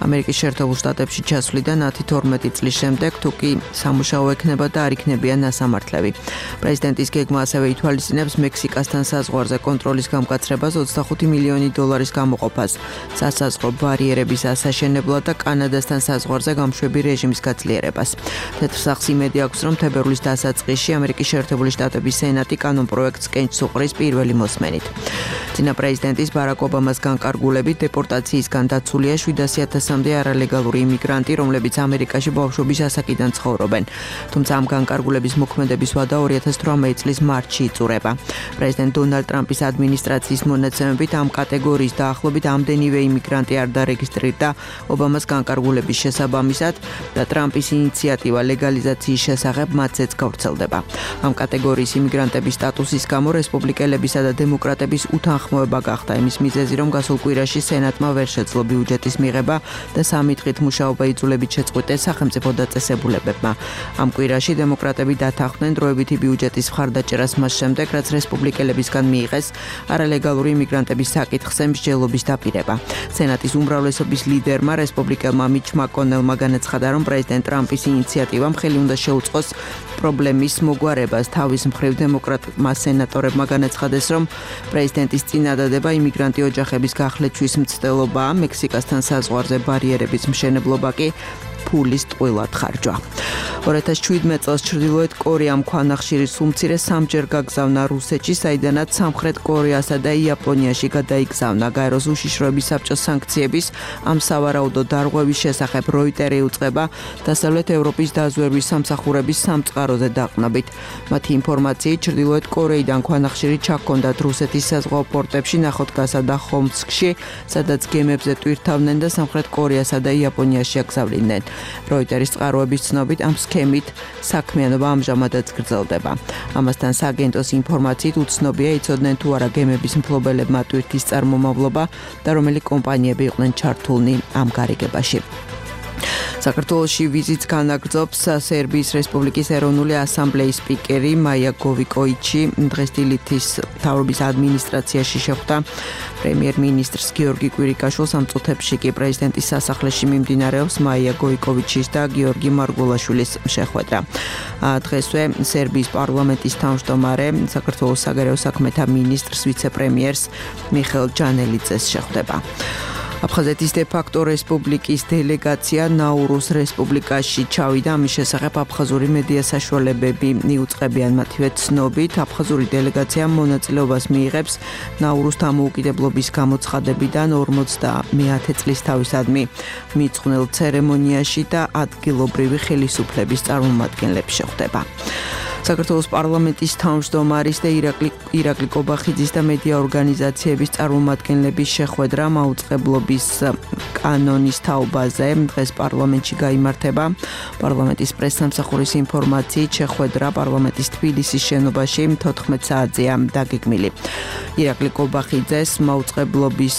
ამერიკის შეერთებულ შტატებში ჩასვლიდან 10-12 წლის შემდეგ, თუ კი სამუშაო ექნება და არ იქნებიან ასამართლები. პრეზიდენტის გეგმა ასევე ითვალისწინებს მექსიკასთან საზღვარზე კონტროლის გამკაცრებას 25 მილიონი დოლარის გამოყოფას. სასაზღვრო ბარიერების ასაშენებლად და კანადასთან საზღვარზე გამშვები რეჟიმის გაძლიერებას. თეთრსახს იმედი აქვს, რომ თებერვლის დასაწყისში ამერიკის შეერთებული შტატების სენატი კანონპროექტს კენჭს უყრის პირველი მოსმენით. წინა პრეზიდენტის ბარაკ ობამას განკარგულებით დეპორტაციისგან დაცულია 700,000-მდე არალეგალური იმიგრანტი, რომლებიც ამერიკაში ბავშვობის ასაკიდან ცხოვრობენ. თუმცა ამ განკარგულების მოქმედების ვადა 2018 წლის მარტში იწურება. პრეზიდენტ დონალდ ტრამპის ადმინისტრაციის მონაცემებით ამ კატეგორიის დაახლოებით ამდენივე იმიგრანტი არ დარეგისტრირდა ობამას განკარგულების შესაბამისად და ტრამპის ინიციატივა ლეგალიზაციის შესახებ მათზეც გავრცელდება. ამ კატეგორიის იმიგრანტების სტატუსის გამო რესპუბლიკელებისა და დემოკრატების უთანხმოება გახდა იმის მიზეზი, რომ გასულ კვირაში სენატმა ვერ შეძლო ბიუჯეტის მიღება და 3 დღით მუშაობა იძულებით შეწყვიტეს სახელმწიფო დაწესებულებებმა. ამ კვირაში დემოკრატები დათანხმდნენ დროებითი ბიუჯეტის მხარდაჭერას მას შემდეგ, რაც რესპუბლიკელებისგან მიიღეს არალეგალური იმიგრანტების საკითხზე მსჯელობის დაპირება. სენატის უმრავლესობის ლიდერმა რესპუბლიკელმა მიჩ მაკონელმა განაცხადა, რომ პრეზიდენტ ტრამპის ინიციატივამ ხელი უნდა შეუწყოს პრობლემის მოგვარებას. თავის მხრივ დემოკრატმა სენატორებმა განაცხადეს, რომ პრეზიდენტის წინადადება იმიგრანტი ოჯახების გახლეჩვის მცდელობაა, მექსიკასთან საზღვარზე ბარიერების მშენებლობა კი ფულის ტყუილად ხარჯვა. 2017 წელს ჩრდილოეთ კორეამ ქვანახშირის უმცირე 3-ჯერ გაგზავნა რუსეთში, საიდანაც სამხრეთ კორეასა და იაპონიაში გადაიგზავნა. გაეროს უშიშროების საბჭოს სანქციების ამ სავარაუდო დარღვევის შესახებ როიტერი უწყება დასავლეთ ევროპის დაზვერვის სამსახურების სამწყაროზე დაყნობით. მათი ინფორმაციით, ჩრდილოეთ კორეიდან ქვანახშირი ჩაქონდათ რუსეთის საზღვაო პორტებში, ნახოდგასა და ხომსკში, სადაც გემებზე ტვირთავდნენ და სამხრეთ კორეასა და იაპონიაში აგზავნიდნენ. როიტერის წყაროების ცნობით ამ სქემით საქმიანობა ამჟამადაც გრძელდება. ამასთან სააგენტოს ინფორმაციით უცნობია იცოდნენ თუ არა გემების მფლობელებმა ტვირთის წარმომავლობა და რომელი კომპანიები იყვნენ ჩართულნი ამ გარიგებაში. საქართველოში ვიზიტს განაგრძობს სერბიის რესპუბლიკის ეროვნული ასამბლეის სპიკერი მაია გოვიკოიჩი. დღეს დილითის მთავრობის ადმინისტრაციაში შეხვდა პრემიერ-მინისტრს გიორგი კვირიკაშვილს. ამ წუთებში კი პრეზიდენტის სასახლეში მიმდინარეობს მაია გოვიკოიჩის და გიორგი მარგულაშვილის შეხვედრა. დღესვე სერბიის პარლამენტის თავმჯდომარე საქართველოს საგარეო საქმეთა მინისტრს ვიცე-პრემიერს მიხეილ ჯანელიძეს შეხვდება. აფხაზეთის დე-ფაქტო რესპუბლიკის დელეგაცია ნაურუს რესპუბლიკაში ჩავიდა. ამის შესახებ აფხაზური მედია საშუალებები მიუწყებიან მათივე ცნობით. აფხაზური დელეგაცია მონაწილეობას მიიღებს ნაურუს დამოუკიდებლობის გამოცხადებიდან 50 წლის თავისადმი მიწყვნილ ცერემონიაში და ადგილობრივი ხელისუფლების წარმომადგენლები შეხვდება. საქართველოს პარლამენტის თავმჯდომარის და ირაკლი კობახიძის და მედია ორგანიზაციების წარმომადგენლების შეხვედრა მაუწყებლობის კანონის თაობაზე დღეს პარლამენტში გაიმართება. პარლამენტის პრესსამსახურის ინფორმაციით შეხვედრა პარლამენტის თბილისის შენობაში 14 საათზეა დაგეგმილი. ირაკლი კობახიძეს მაუწყებლობის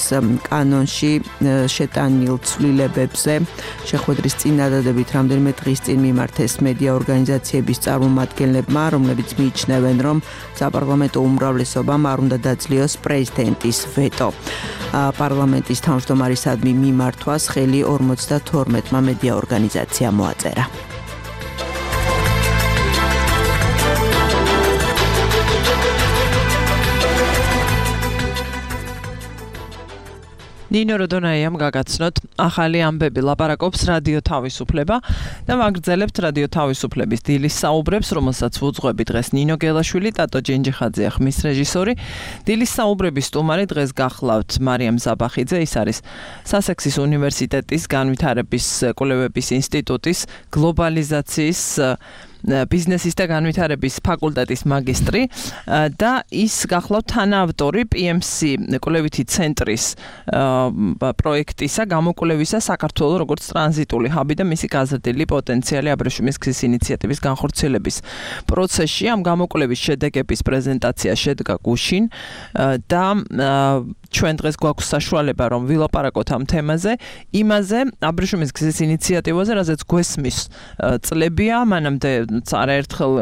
კანონში შეტანილ ცვლილებებზე შეხვედრის წინადადებით რამდენიმე დღის წინ მიმართეს მედია ორგანიზაციების წარმომადგენლებმა, რომლებიც მიიჩნევენ, რომ საპარლამენტო უმრავლესობამ არ უნდა დაძლიოს პრეზიდენტის ვეტო. პარლამენტის თავმჯდომარისადმი მიმართვას ხელი 52-მა მედია ორგანიზაციამ მოაწერა. ნინო როდონაიამ გაგაცნოთ ახალი ამბები ლაპარაკობს რადიო თავისუფლება და ვაგრძელებთ რადიო თავისუფლების დილის საუბრებს, რომელსაც ვუძღვები დღეს ნინო გელაშვილი, ტატო ჯინჯიხაძე ხმის რეჟისორი. დილის საუბრების სტუმარი დღეს გახლავთ მარიამ ზაბახიძე, ის არის სასექსის უნივერსიტეტის განვითარების კვლევების ინსტიტუტის გლობალიზაციის ბიზნესის და განვითარების ფაკულტეტის მაგისტრი და ის გახლავთ თანაავტორი PMC კვლევითი ცენტრის პროექტისა გამოკვლევისა საქართველოს როგორც ტრანზიტული ჰაბი და მისი გაზრდილი პოტენციალი აბრეშუმის გზის ინიციატივის განხორციელების პროცესში. ამ გამოკვლევის შედეგების პრეზენტაცია შედგა გუშინ და ჩვენ დღეს გვაქვს საშუალება რომ ვილაპარაკოთ ამ თემაზე, იმაზე აბრეშუმის გზის ინიციატივაზე, რაზეც გვესმის წლებია, მანამდე არაერთხელ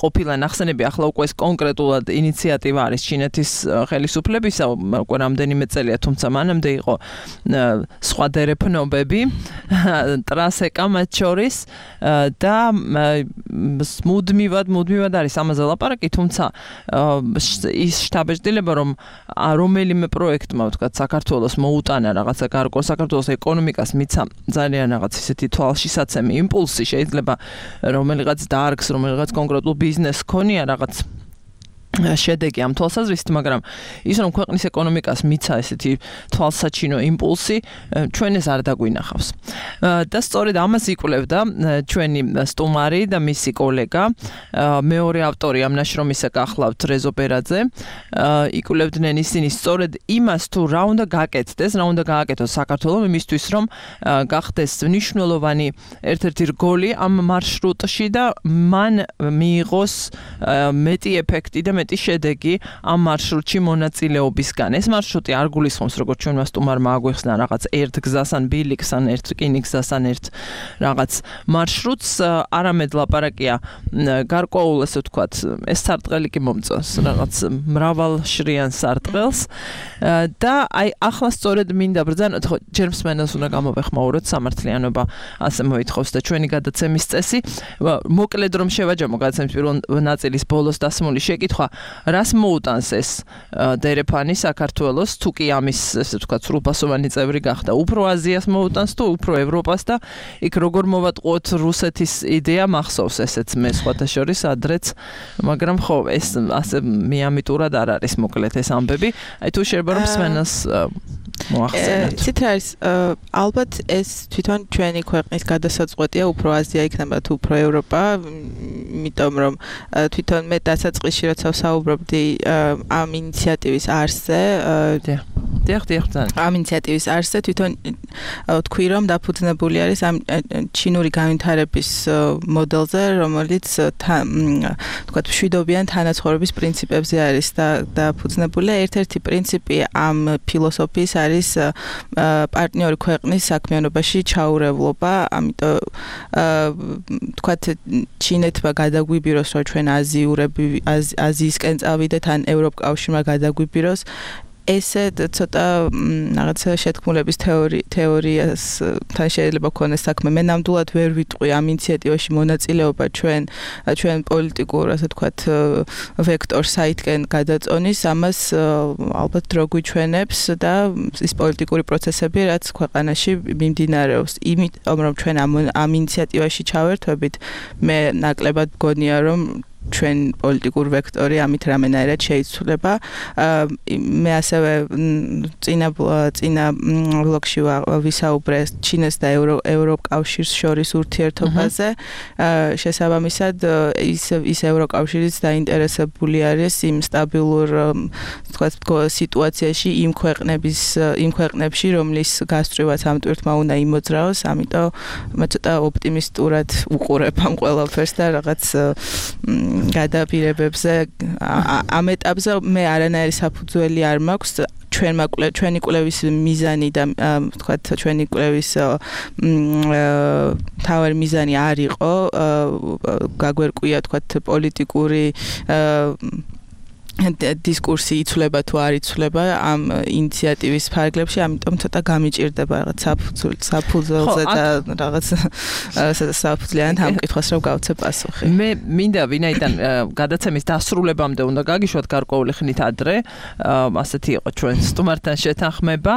ყოფილა ნახსენები, ახლა უკვე ეს კონკრეტულად ინიციატივა არის ჩინეთის ხელისუფლებისა, უკვე რამდენიმე წელია, თუმცა მანამდე იყო სხვა დერეფნობები, ტრასეკა მათ შორის და მუდმივად არის ამაზე ლაპარაკი, თუმცა ის შთაბეჭდილება, რომ რომელიმე პროექტმა, ვთქვათ, საქართველოს მოუტანა რაღაცა გარკვეულ საქართველოს ეკონომიკას მიცა ძალიან რაღაც ისეთი თვალშისაცემი იმპულსი, შეიძლება რომელიღაც დაარგს, რომელიღაც კონკრეტულ ბიზნესს ქონია რაღაც შედეგი ამ თვალსაზრისით, მაგრამ ის რომ ქვეყნის ეკონომიკას მიცა ესეთი თვალსაჩინო იმპულსი, ჩვენ ეს არ დაგვინახავს. და სწორედ ამას იკვლევდა ჩვენი სტუმარი და მისი კოლეგა, მეორე ავტორი ამ ნაშრომისა გახლავთ რეზო ბერაძე. იკვლევდნენ ისინი სწორედ იმას, თუ რა უნდა გაკეთდეს, რა უნდა გააკეთოს საქართველოს იმისთვის, რომ გახდეს მნიშვნელოვანი ერთ-ერთი რგოლი ამ მარშრუტში და მან მიიღოს მეტი ეფექტი და მეტი შედეგი ამ მარშრუტში მონაწილეობისგან. ეს მარშრუტი არ გულისხმობს, როგორც ჩვენმა სტუმარმა აგვიხსნა, რაღაც ერთ გზას ან ბილიქს ან ერთ რკინიგზას ან ერთ რაღაც მარშრუტს, არამედ ლაპარაკია გარკვეულ, ესე ვთქვათ, ეს სარტყელი კი მომწონს, რაღაც მრავალშრიან სარტყელს და აი ახლა სწორედ მინდა ბრძანოთ, ხო, ჯერ მსმენელს უნდა გამოვეხმაუროთ, სამართლიანობა ასე მოითხოვს და ჩვენი გადაცემის წესი. მოკლედ რომ შევაჯამო გადაცემის პირველ ნაწილის ბოლოს დასმული შეკითხვა, რას მოუტანს ეს დერეფანი საქართველოს, თუ კი ამის, ესე ვთქვათ, სრულფასოვანი წევრი გახდა, უფრო აზიას მოუტანს თუ უფრო ევროპას და იქ როგორ მოვატყუოთ რუსეთის იდეა მახსოვს ესეც მე სხვათა შორის ადრეც, მაგრამ ხო, ეს ასე მიამიტურად არ არის მოკლედ ეს ამბები. აი თუ შეიძლება რომ მსმენელს მოახსენოთ. ცით არის, ალბათ ეს თვითონ ჩვენი ქვეყნის გადასაწყვეტია, უფრო აზია იქნება თუ უფრო ევროპა, იმიტომ რომ თვითონ მე დასაწყისში როცა ვსაუბრობდი ამ ინიციატივის არსზე, ამ ინიციატივის არსზე თვითონ თქვი რომ დაფუძნებული არის ამ ჩინური განვითარების მოდელზე, რომელიც თქვათ მშვიდობიან თანაცხოვრების პრინციპებზე არის დაფუძნებული. ერთ-ერთი პრინციპი ამ ფილოსოფიის არის პარტნიორი ქვეყნის საქმიანობაში ჩაურევლობა, ამიტომ თქვათ ჩინეთმა გადაგვიბიროს, რომ ჩვენ აზიისკენ წავიდეთ ან ევროპკავშირმა გადაგვიბიროს, ესე ცოტა რაღაცა შეთქმულების თეორიასთან შეიძლება ქონდეს საქმე. მე ნამდვილად ვერ ვიტყვი ამ ინიციატივაში მონაწილეობა ჩვენ პოლიტიკურ, ასე ვთქვათ, ვექტორს საითკენ გადაწონის, ამას ალბათ დრო გვიჩვენებს და ის პოლიტიკური პროცესები, რაც ქვეყანაში მიმდინარეობს. იმიტომ რომ ჩვენ ამ ინიციატივაში ჩავერთვებით, მე ნაკლებად გონია რომ ჩვენ პოლიტიკურ ვექტორი ამით რამენაირად შეიცვლება. მე ასევე წინა ბლოკში ვისაუბრე ჩინეს და ევროკავშირს შორის ურთიერთობაზე. შესაბამისად ის ევროკავშირიც დაინტერესებული არის იმ სტაბილურ სიტუაციაში იმ ქვეყნებში, რომლის გასწვრივაც ამ ტვირთმა უნდა იმოძრაოს, ამიტომ მე ცოტა ოპტიმისტურად უყურებ ამ ყველაფერს და რაღაც გადაპირებებზე ამ ეტაპზე მე არანაირი საფუძველი არ მაქვს ჩვენი კვლევის მიზანი და თქვათ ჩვენი კვლევის თავარი მიზანი არ იყო გაგვერკვია თქვათ პოლიტიკური დისკურსი იცვლება თუ არ იცვლება ამ ინიციატივის ფარგლებში, ამიტომ ცოტა გამიჭირდება რაღაც საფუძველზე და რაღაც საფუძვლიანად ამ კითხვას რომ გავცე პასუხი. მე მინდა ვინაიდან გადაცემის დასრულებამდე უნდა გაგიშვათ გარკვეული ხნით ადრე, ასეთი იყო ჩვენ სტუმართან შეთანხმება.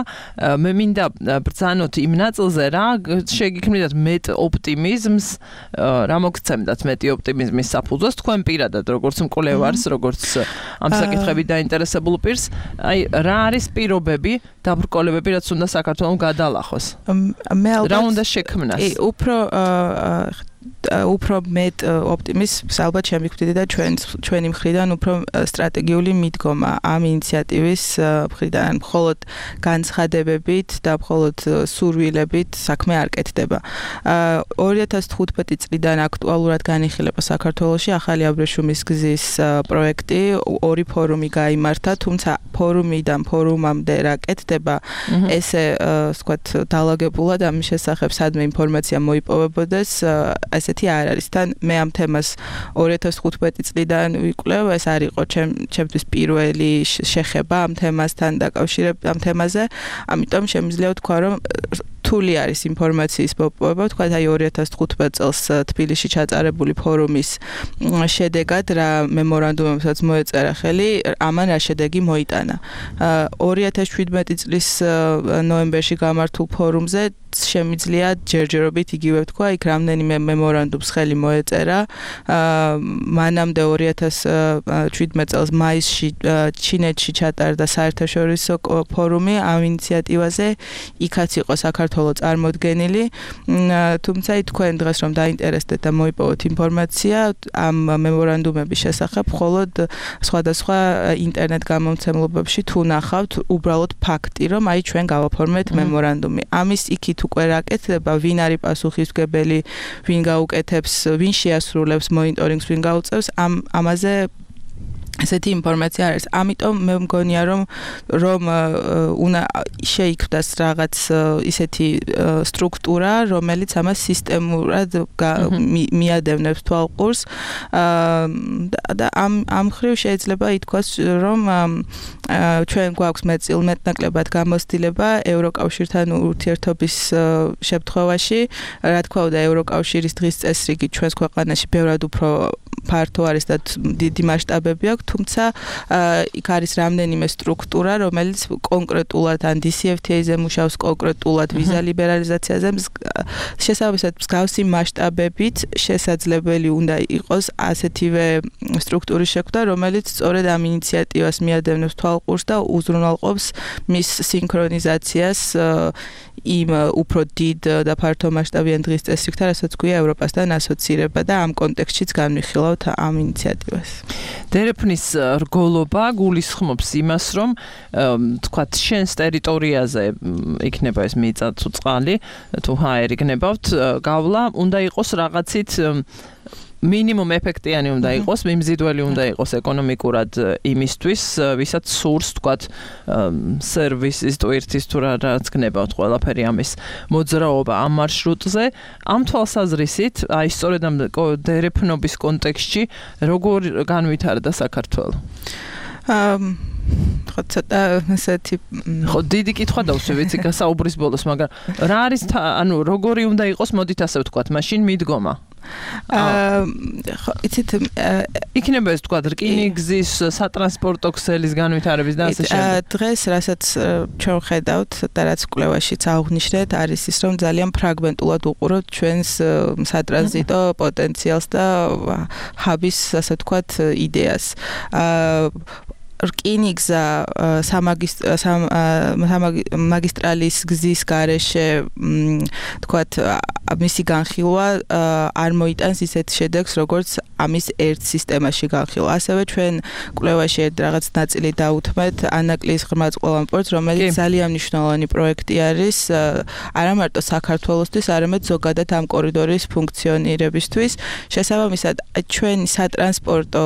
მე მინდა ბრძანოთ იმ ნაწილზე რა შეგიქმნათ მეტ ოპტიმიზმს, რა მოგცემდათ მეტი ოპტიმიზმის საფუძვლს თქვენ პირადად, როგორც მკვლევარს, როგორც ამ საკითხებით დაინტერესებულ პირს, აი რა არის პირობები, დაბრკოლებები, რაც უნდა საქართველოს გადალახოს? მე ალბათ რა უნდა შექმნას? უფრო მეტ ოპტიმიზმს ალბათ შემიგვდით და ჩვენი მხრიდან უფრო სტრატეგიული მიდგომა ამ ინიციატივის მხრიდან მხოლოდ განცხადებებით და მხოლოდ სურვილებით საქმე არ კეთდება. 2015 წლიდან აქტუალურად განიხილება საქართველოში ახალი აბრეშუმის გზის პროექტი, 2 ფორუმი გაიმართა, თუმცა ფორუმიდან ფორუმამდე რა კეთდება, ესე ვთქვათ დალაგებულად ამის შესახებ სადმე ინფორმაცია მოიპოვებოდეს, ესეთი არ არის. თან მე ამ თემას 2015 წლიდან ვიკვლევ, ეს არ იყო ჩემთვის პირველი შეხება ამ თემასთან დაკავშირებით ამ თემაზე, ამიტომ შემიძლია ვთქვა, რომ რთული არის ინფორმაციის მოპოვება, თქვა აი 2015 წელს თბილისში ჩატარებული ფორუმის შედეგად რა მემორანდუმებსაც მოეწერა ხელი, ამან რა შედეგი მოიტანა. 2017 წლის ნოემბერში გამართულ ფორუმზე შემიძლია ჯერჯერობით იგივე თქვა, იქ რამდენიმე მემორანდუმს ხელი მოეწერა. მანამდე 2017 წელს მაისში ჩინეთში ჩატარდა საერთაშორისო ფორუმი ამ ინიციატივაზე, იქაც იყო საქართველოს წარმოდგენილი, თუმცა თქვენ დღეს რომ დაინტერესდეთ და მოიპოვოთ ინფორმაცია ამ მემორანდუმების შესახებ, მხოლოდ სხვადასხვა ინტერნეტ გამომცემლობებში თუ ნახავთ უბრალოდ ფაქტი, რომ აი ჩვენ გავაფორმეთ მემორანდუმი. ამის იქით უკვე რა კეთდება, ვინ არის პასუხისმგებელი, ვინ გაუკეთებს, ვინ შეასრულებს მონიტორინგს, ვინ გაუწევს, ამაზე ესეთი ინფორმაცია არის. ამიტომ მე მგონია რომ უნდა შეიქმნას რაღაც ისეთი სტრუქტურა, რომელიც ამას სისტემურად მიადევნებს თვალყურს და ამ ხრივ შეიძლება ითქვას, რომ ჩვენ გვაქვს მეტნაკლებად გამოცდილება ევროკავშირთან ურთიერთობის შემთხვევაში, რა თქმა უნდა ევროკავშირის დღის წესრიგი ჩვენს ქვეყანაში ბევრად უფრო ფართო არის და დიდი მასშტაბები აქვს, თუმცა იქ არის რამდენიმე სტრუქტურა, რომელიც კონკრეტულად ან DCFTA-ზე მუშაობს, კონკრეტულად ვიზა ლიბერალიზაციაზე, შესაბამისად მსგავსი მასშტაბებით შესაძლებელი უნდა იყოს ასეთივე სტრუქტურის შექმნა, რომელიც სწორედ ამ ინიციატივას მიადევნებს თვალყურს და უზრუნველყოფს მის სინქრონიზაციას იმ უფრო დიდ და ფართო მასშტაბიან დღის წესრიგთან, რასაც გვია ევროპასთან ასოცირება და ამ კონტექსტშიც განვიხილავთ ამ ინიციატივას. დერეფნის რგოლობა გულისხმობს იმას, რომ თქვათ შენს ტერიტორიაზე იქნება ეს მიწა თუ წყალი, თუ ჰაერი გნებავთ, გავლა უნდა იყოს რაღაცით მინიმუმ ეფექტიანი უნდა იყოს, მიმზიდველი უნდა იყოს ეკონომიკურად იმისთვის, ვისაც სურს, თქვათ, სერვისის ტვირთის თუ რაც გნებავთ ყველაფერი ამის მოძრაობა ამ მარშრუტზე. ამ თვალსაზრისით, აი სწორედ ამ დერეფნობის კონტექსტში როგორ განვითარდა საქართველო? ცოტა ესეთი დიდი კითხვა დავსვი, ვიცი, გასაუბრის ბოლოს, მაგრამ რა არის, ანუ როგორი უნდა იყოს, მოდით ასე ვთქვათ, მაშინ მიდგომა იცით იქნება ეს თქვა რკინიგზის სატრანსპორტო ქსელის განვითარების და ასე შემდეგ. დღეს რასაც ჩვენ ხედავთ და რაც კვლევაშიც აღვნიშნეთ არის ის რომ ძალიან ფრაგმენტულად უყურებთ ჩვენს სატრანზიტო პოტენციალს და ჰაბის ასე ვთქვათ იდეას. რკინიგზა სამაგისტრალის გზის გარეშე თქვათ მისი განხილვა არ მოიტანს ისეთ შედეგს როგორც ამის ერთ სისტემაში განხილვა. ასევე ჩვენ კვლევაში რაღაც ნაწილი დაუთმეთ ანაკლის ღრმაწყლოვან პორტს, რომელიც ძალიან მნიშვნელოვანი პროექტი არის არა მარტო საქართველოსთვის, არამედ ზოგადად ამ კორიდორის ფუნქციონირებისთვის. შესაბამისად, ჩვენი სატრანსპორტო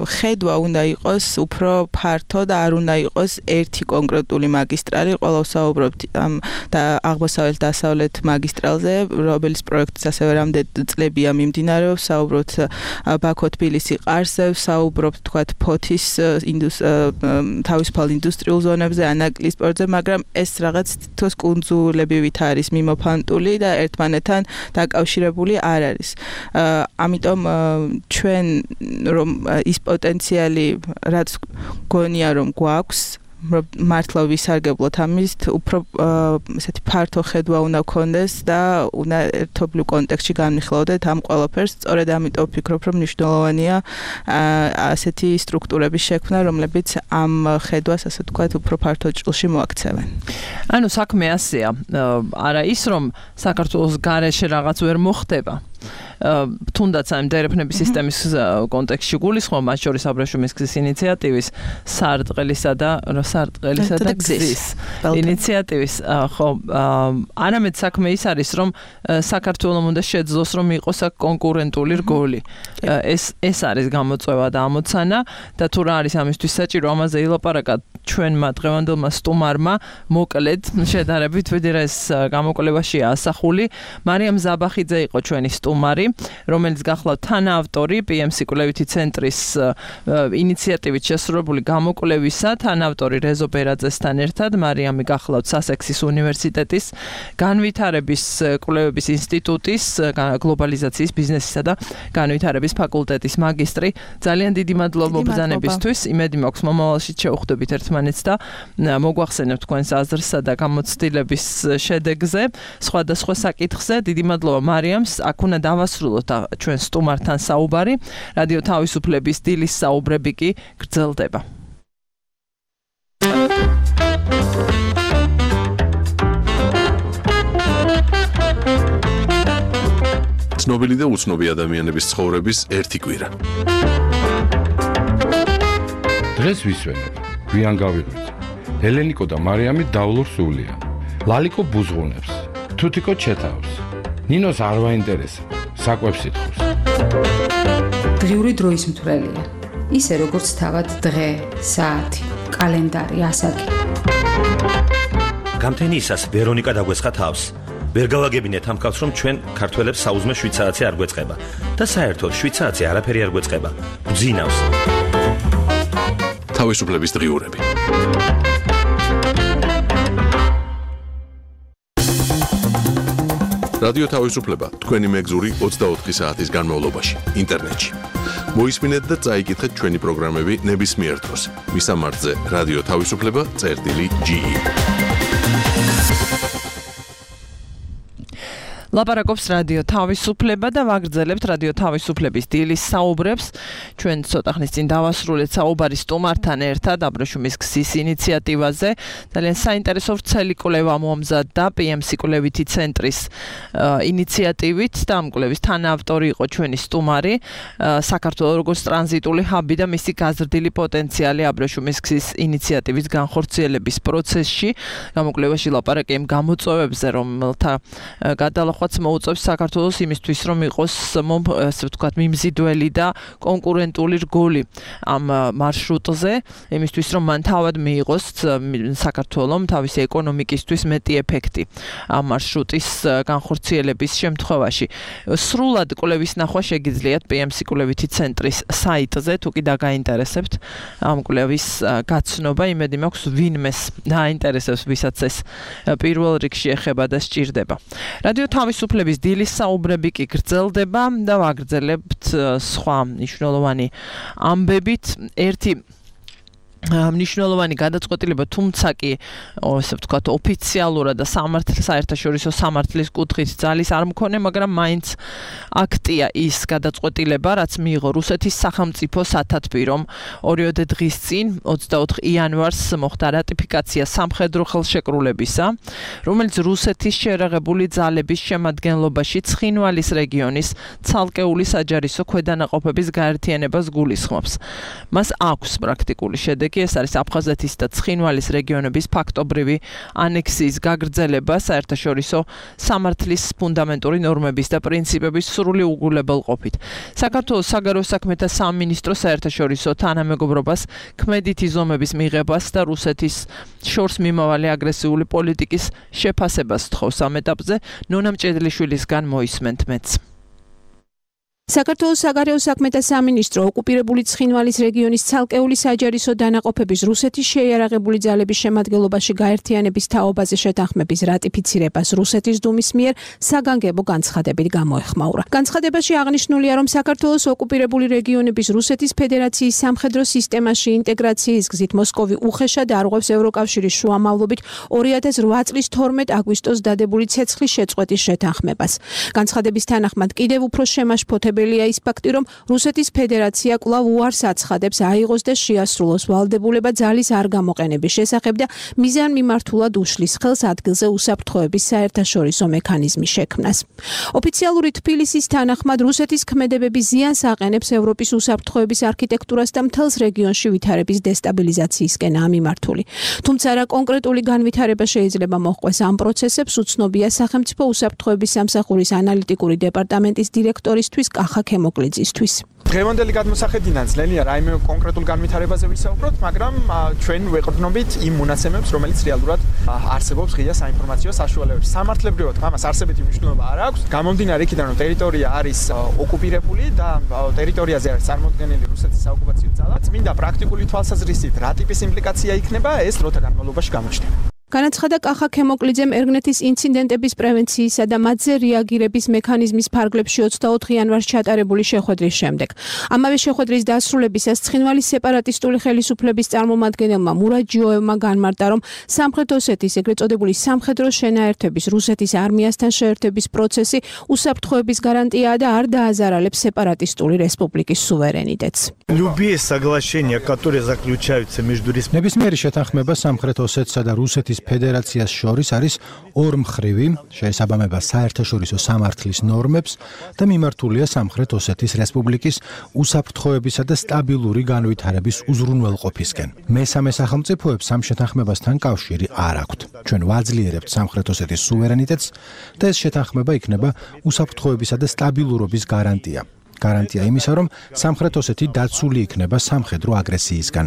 ხედვა უნდა იყოს უფრო ფართო და არ უნდა იყოს ერთი კონკრეტული მაგისტრალი. ყველა ვსაუბრობთ ამ და აღმოსავლეთ-დასავლეთ მაგისტრალზე, რომელიც პროექტიც ასევე რამდენი წლებია მიმდინარეობს. ვსაუბრობთ ბაქო-თბილისი ყარსზე, ვსაუბრობთ თქვათ ფოთის თავისუფალ ინდუსტრიულ ზონებზე, ანაკლის პორტზე, მაგრამ ეს რაღაც თითქოს კუნძულებივით არის მიმოფანტული და ერთმანეთთან დაკავშირებული არ არის. ამიტომ ჩვენ რომ ის პოტენციალი რაც გონია რომ გვაქვს მართლა ვისარგებლოთ ამის უფრო ესეთი ფართო ხედვა უნდა გქონდეს და უნდა ერთობლივ კონტექსტში განვიხილავდეთ ამ ყველაფერს. სწორედ ამიტომ ვფიქრობ რომ მნიშვნელოვანია ასეთი სტრუქტურების შექმნა, რომლებიც ამ ხედვას ასე ვთქვათ უფრო ფართო ჭრილში მოაქცევენ. ანუ საქმე ასეა, არა ის რომ საქართველოს გარეშე რაღაც ვერ მოხდება. თუნდაც ამ დერეფნების სისტემის კონტექსტში გულისხმობ, მათ შორის აბრეშუმის გზის ინიციატივის სარტყელისა და გზის ინიციატივის, ხო, არამედ საქმე ის არის, რომ საქართველოს უნდა შეძლოს, რომ იყოს აქ კონკურენტული რგოლი. ეს არის გამოწვევა და ამოცანა და თუ რა არის ამისთვის საჭირო, ამაზე ილაპარაკა ჩვენმა დღევანდელმა სტუმარმა, მოკლედ შედარებით, ვიდრე ეს გამოკვლევაშია ასახული. მარიამ ზაბახიძე იყო ჩვენი სტუმარი, რომელიც გახლავთ თანაავტორი PM სიკვლევითი ცენტრის ინიციატივით შესრულებული გამოკვლევისა, თანაავტორი რეზო ბერაძესთან ერთად. მარიამი გახლავთ სასექსის უნივერსიტეტის განვითარების კვლევების ინსტიტუტის გლობალიზაციის ბიზნესისა და განვითარების ფაკულტეტის მაგისტრი. ძალიან დიდი მადლობა მობრძანებისთვის. იმედი მაქვს მომავალში შევხვდებით ერთმანეთს და მოგვახსენებთ თქვენს აზრსა და გამოცდილების შედეგზე, სხვადასხვა საკითხზე. დიდი მადლობა მარიამს. აქ უნდა დავასრულოთ ჩვენ სტუმართან საუბარი. რადიო თავისუფლების დილის საუბრები კი გრძელდება. ცნობილი და უცნობი ადამიანების ცხოვრების ერთი კვირა. დღეს ვისვენებ, გვიან გავიღვიძე. ელენიკო და მარიამი დავლურ სულია. ლალიკო ბუზღუნებს, თუთიკო ჩეთავს. ნინოს არ ვაინტერესებს, საკვებს ითხოვს. დღიური დროის მთვრელია. ისე როგორც თავად დღე, საათი, კალენდარი, ასაკი. გამთენიისას ვერონიკა დაგვესხა თავს. ვერ გავაგებინეთ ამ კაცს, რომ ჩვენ ქართველებს საუზმე შვიცარიცი არ გვეწყება და საერთოდ შვიცარიცი არაფერი არ გვეწყება. გძინავს. თავისუფლების დღიურები. რადიო თავისუფლება თქვენი მეგზური 24 საათის განმავლობაში ინტერნეტში. მოისმინეთ და წაიკითხეთ ჩვენი პროგრამები ნებისმიერ დროს. მისამართზე რადიო თავისუფლება.ge. ლაპარაკობს რადიო თავისუფლება და ვაგრძელებთ რადიო თავისუფლების დილის საუბრებს. ჩვენ ცოტა ხნის წინ დავასრულეთ საუბარი სტუმართან ერთად აბრეშუმის გზის ინიციატივაზე. ძალიან საინტერესო ვრცელი კვლევა მომზადდა PM სიკვლევითი ცენტრის ინიციატივით და ამ კვლევის თანაავტორი იყო ჩვენი სტუმარი. საქართველოს როგორც ტრანზიტული ჰაბი და მისი გაზრდილი პოტენციალი აბრეშუმის გზის ინიციატივის განხორციელების პროცესში. გამოკვლევაში ლაპარაკი იმ გამოწვევებზე, რომელთა გადალახვა მოუწევს საქართველოს იმისთვის, რომ იყოს ასე ვთქვათ მიმზიდველი და კონკურენტული რგოლი ამ მარშრუტზე, იმისთვის, რომ მან თავად მიიღოს საქართველოს თავისი ეკონომიკისთვის მეტი ეფექტი ამ მარშრუტის განხორციელების შემთხვევაში. სრულად კვლევის ნახვა შეგიძლიათ PM სიკვლევითი ცენტრის საიტზე, თუ კი დაგაინტერესებთ ამ კვლევის გაცნობა, იმედი მაქვს ვინმეს დაინტერესებს, ვისაც ეს პირველ რიგში ეხება და სჭირდება. რადიო თავისუფლების დილის საუბრები კი გრძელდება და ვაგრძელებთ სხვა მნიშვნელოვანი ამბებით. ერთი მნიშვნელოვანი გადაწყვეტილება, თუმცა კი ასე ვთქვათ, ოფიციალურად და საერთაშორისო სამართლის კუთხით ძალის არ მქონე, მაგრამ მაინც აქტია ის გადაწყვეტილება, რაც მიიღო რუსეთის სახელმწიფო სათათბირომ ორიოდე დღის წინ 24 იანვარს მოხდა რატიფიკაცია სამხედრო ხელშეკრულებისა, რომელიც რუსეთის შეერაღებული ძალების შემადგენლობაში ცხინვალის რეგიონის ცალკეული საჯარისო ქვედანაყოფების გაერთიანებას გულისხმობს. მას აქვს პრაქტიკული შედეგი. ეს არის აფხაზეთის და ცხინვალის რეგიონების ფაქტობრივი ანექსიის გაგრძელება საერთაშორისო სამართლის ფუნდამენტური ნორმების და პრინციპების სრული უგულებელყოფით. საქართველოს საგარეო საქმეთა სამინისტრო საერთაშორისო თანამეგობრობას ქმედითი ზომების მიღებას და რუსეთის შორს მიმავალი აგრესიული პოლიტიკის შეფასებას თხოვს ამ ეტაპზე. ნონა მჭედლიშვილისგან მოისმენთ მეც. საქართველოს საგარეო საქმეთა სამინისტრო ოკუპირებული ცხინვალის რეგიონის ცალკეული საჯარისო დანაყოფების რუსეთის შეიარაღებული ძალების შემადგენლობაში გაერთიანების თაობაზე შეთანხმების რატიფიცირებას რუსეთის დუმის მიერ საგანგებო განცხადებით გამოეხმაურა. განცხადებაში აღნიშნულია, რომ საქართველოს ოკუპირებული რეგიონების რუსეთის ფედერაციის სამხედრო სისტემაში ინტეგრაციის გზით მოსკოვი უხეშად არღვევს ევროკავშირის შუამავლობით 2008 წლის 12 აგვისტოს დადებული ცეცხლის შეწყვეტის შეთანხმებას. განცხადების თანახმად კიდევ უფრო შემაშფოთებელი ის ფაქტი, რომ რუსეთის ფედერაცია კვლავ უარს აცხადებს აიღოს და შეასრულოს ვალდებულება ძალის არ გამოყენების შესახებ და მიზანმიმართულად უშლის ხელს ადგილზე უსაფრთხოების საერთაშორისო მექანიზმის შექმნას. ოფიციალური თბილისის თანახმად რუსეთის ქმედებები ზიანს აყენებს ევროპის უსაფრთხოების არქიტექტურას და მთელს რეგიონში ვითარების დესტაბილიზაციისკენაა მიმართული. თუმცა რა კონკრეტული განვითარება შეიძლება მოჰყვეს ამ პროცესებს, უცნობია სახელმწიფო უსაფრთხოების სამსახურის ანალიტიკური დეპარტამენტის დირექტორისთვის კახა ქემოკლიძისთვის. დღევანდელი გადმოსახედიდან ძნელია რაიმე კონკრეტულ განვითარებაზე ვისაუბროთ, მაგრამ ჩვენ ვეყრდნობით იმ მონაცემებს, რომელიც რეალურად არსებობს ღია საინფორმაციო საშუალებებში. სამართლებრივად ამას არსებითი მნიშვნელობა არ აქვს. გამომდინარე იქიდან, რომ ტერიტორია არის ოკუპირებული და ტერიტორიაზე არის წარმოდგენილი რუსეთის საოკუპაციო ძალა, წმინდა პრაქტიკული თვალსაზრისით რა ტიპის იმპლიკაცია იქნება, ეს დროთა განმავლობაში გამოჩნდება. განაცხადა კახა ქემოკლიძემ ერგნეთის ინციდენტების პრევენციისა და მათზე რეაგირების მექანიზმის ფარგლებში 24 იანვარს ჩატარებული შეხვედრის შემდეგ. ამავე შეხვედრის დასრულებისას ცხინვალის სეპარატისტული ხელისუფლების წარმომადგენელმა მურად ჯიოევმა განმარტა, რომ სამხრეთ ოსეთის ეგრეთ წოდებული სამხედრო შენაერთების რუსეთის არმიასთან შეერთების პროცესი უსაფრთხოების გარანტიაა და არ დააზარალებს სეპარატისტული რესპუბლიკის სუვერენიტეტს. Любые соглашения, которые заключаются между ნებისმიერი შეთანხმება სამხრეთ ოსეთსა და რუსეთის ფედერაციას შორის არის ორმხრივი, შეესაბამება საერთაშორისო სამართლის ნორმებს და მიმართულია სამხრეთ ოსეთის რესპუბლიკის უსაფრთხოებისა და სტაბილური განვითარების უზრუნველყოფისკენ. მესამე სახელმწიფოებს ამ შეთანხმებასთან კავშირი არ აქვთ. ჩვენ ვაძლიერებთ სამხრეთ ოსეთის სუვერენიტეტს და ეს შეთანხმება იქნება უსაფრთხოებისა და სტაბილურობის გარანტია. გარანტია იმისა, რომ სამხრეთ ოსეთი დაცული იქნება სამხედრო აგრესიისგან.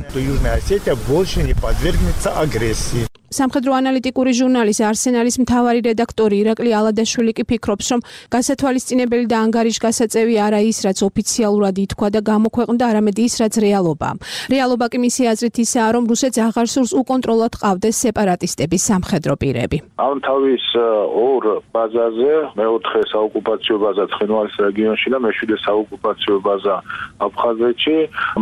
სამხედრო ანალიტიკური ჟურნალის არსენალის მთავარი რედაქტორი ირაკლი ალადაშვილი კი ფიქრობს, რომ გასათვალისწინებელი და ანგარიშგასაწევი არა ის, რაც ოფიციალურად ითქვა და გამოქვეყნდა, არამედ ის, რაც რეალობაა. რეალობა კი მისი აზრით ისაა, რომ რუსეთს აღარ სურს უკონტროლოდ ყავდეს სეპარატისტების სამხედრო პირები. ამ თავის ორ ბაზაზე, მეოთხე საოკუპაციო ბაზა ცხინვალის რეგიონში და მეშვიდე საოკუპაციო ბაზა აფხაზეთში,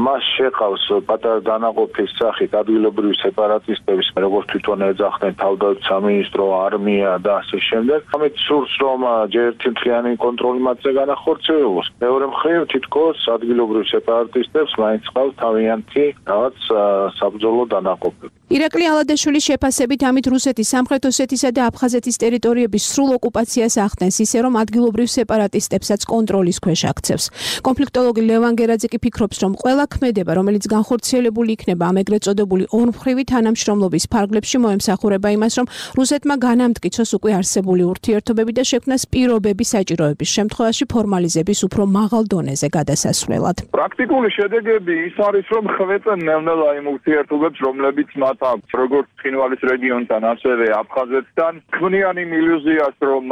მას შეყავს პატარა დანაყოფის სახით ადგილობრივი სეპარატისტების, როგორც თვითონ ეძახდნენ თავდაცვის სამინისტრო, არმია და ასე შემდეგ. ამით სურს, რომ ჯერ ერთი მთლიანი კონტროლი მათზე განახორციელოს. მეორე მხრივ, თითქოს ადგილობრივ სეპარატისტებს მაინც ყავს თავიანთი რაღაც საბრძოლო დანაყოფები. ირაკლი ალადაშვილის შეფასებით, ამით რუსეთის სამხრეთ ოსეთისა და აფხაზეთის ტერიტორიების სრულ ოკუპაციას ახდენს, ისე რომ ადგილობრივ სეპარატისტებსაც კონტროლის ქვეშ აქცევს. კონფლიქტოლოგი ლევან გერაძე კი ფიქრობს, რომ ყველა ქმედება, რომელიც განხორციელებული იქნება ამ ეგრეთ წოდებული ორმხრივი თანამშრომლობის ფარგლებში, მოემსახურება იმას, რომ რუსეთმა განამტკიცოს უკვე არსებული ურთიერთობები და შექმნას პირობები საჭიროების შემთხვევაში ფორმალიზების უფრო მაღალ დონეზე გადასასვლელად. პრაქტიკული შედეგები ის არის, რომ ხვეწენ ნელ-ნელა იმ ურთიერთობებს, რომლებიც მათ აქვს როგორც ცხინვალის რეგიონთან, ასევე აფხაზეთთან. ქმნიან იმ ილუზიას, რომ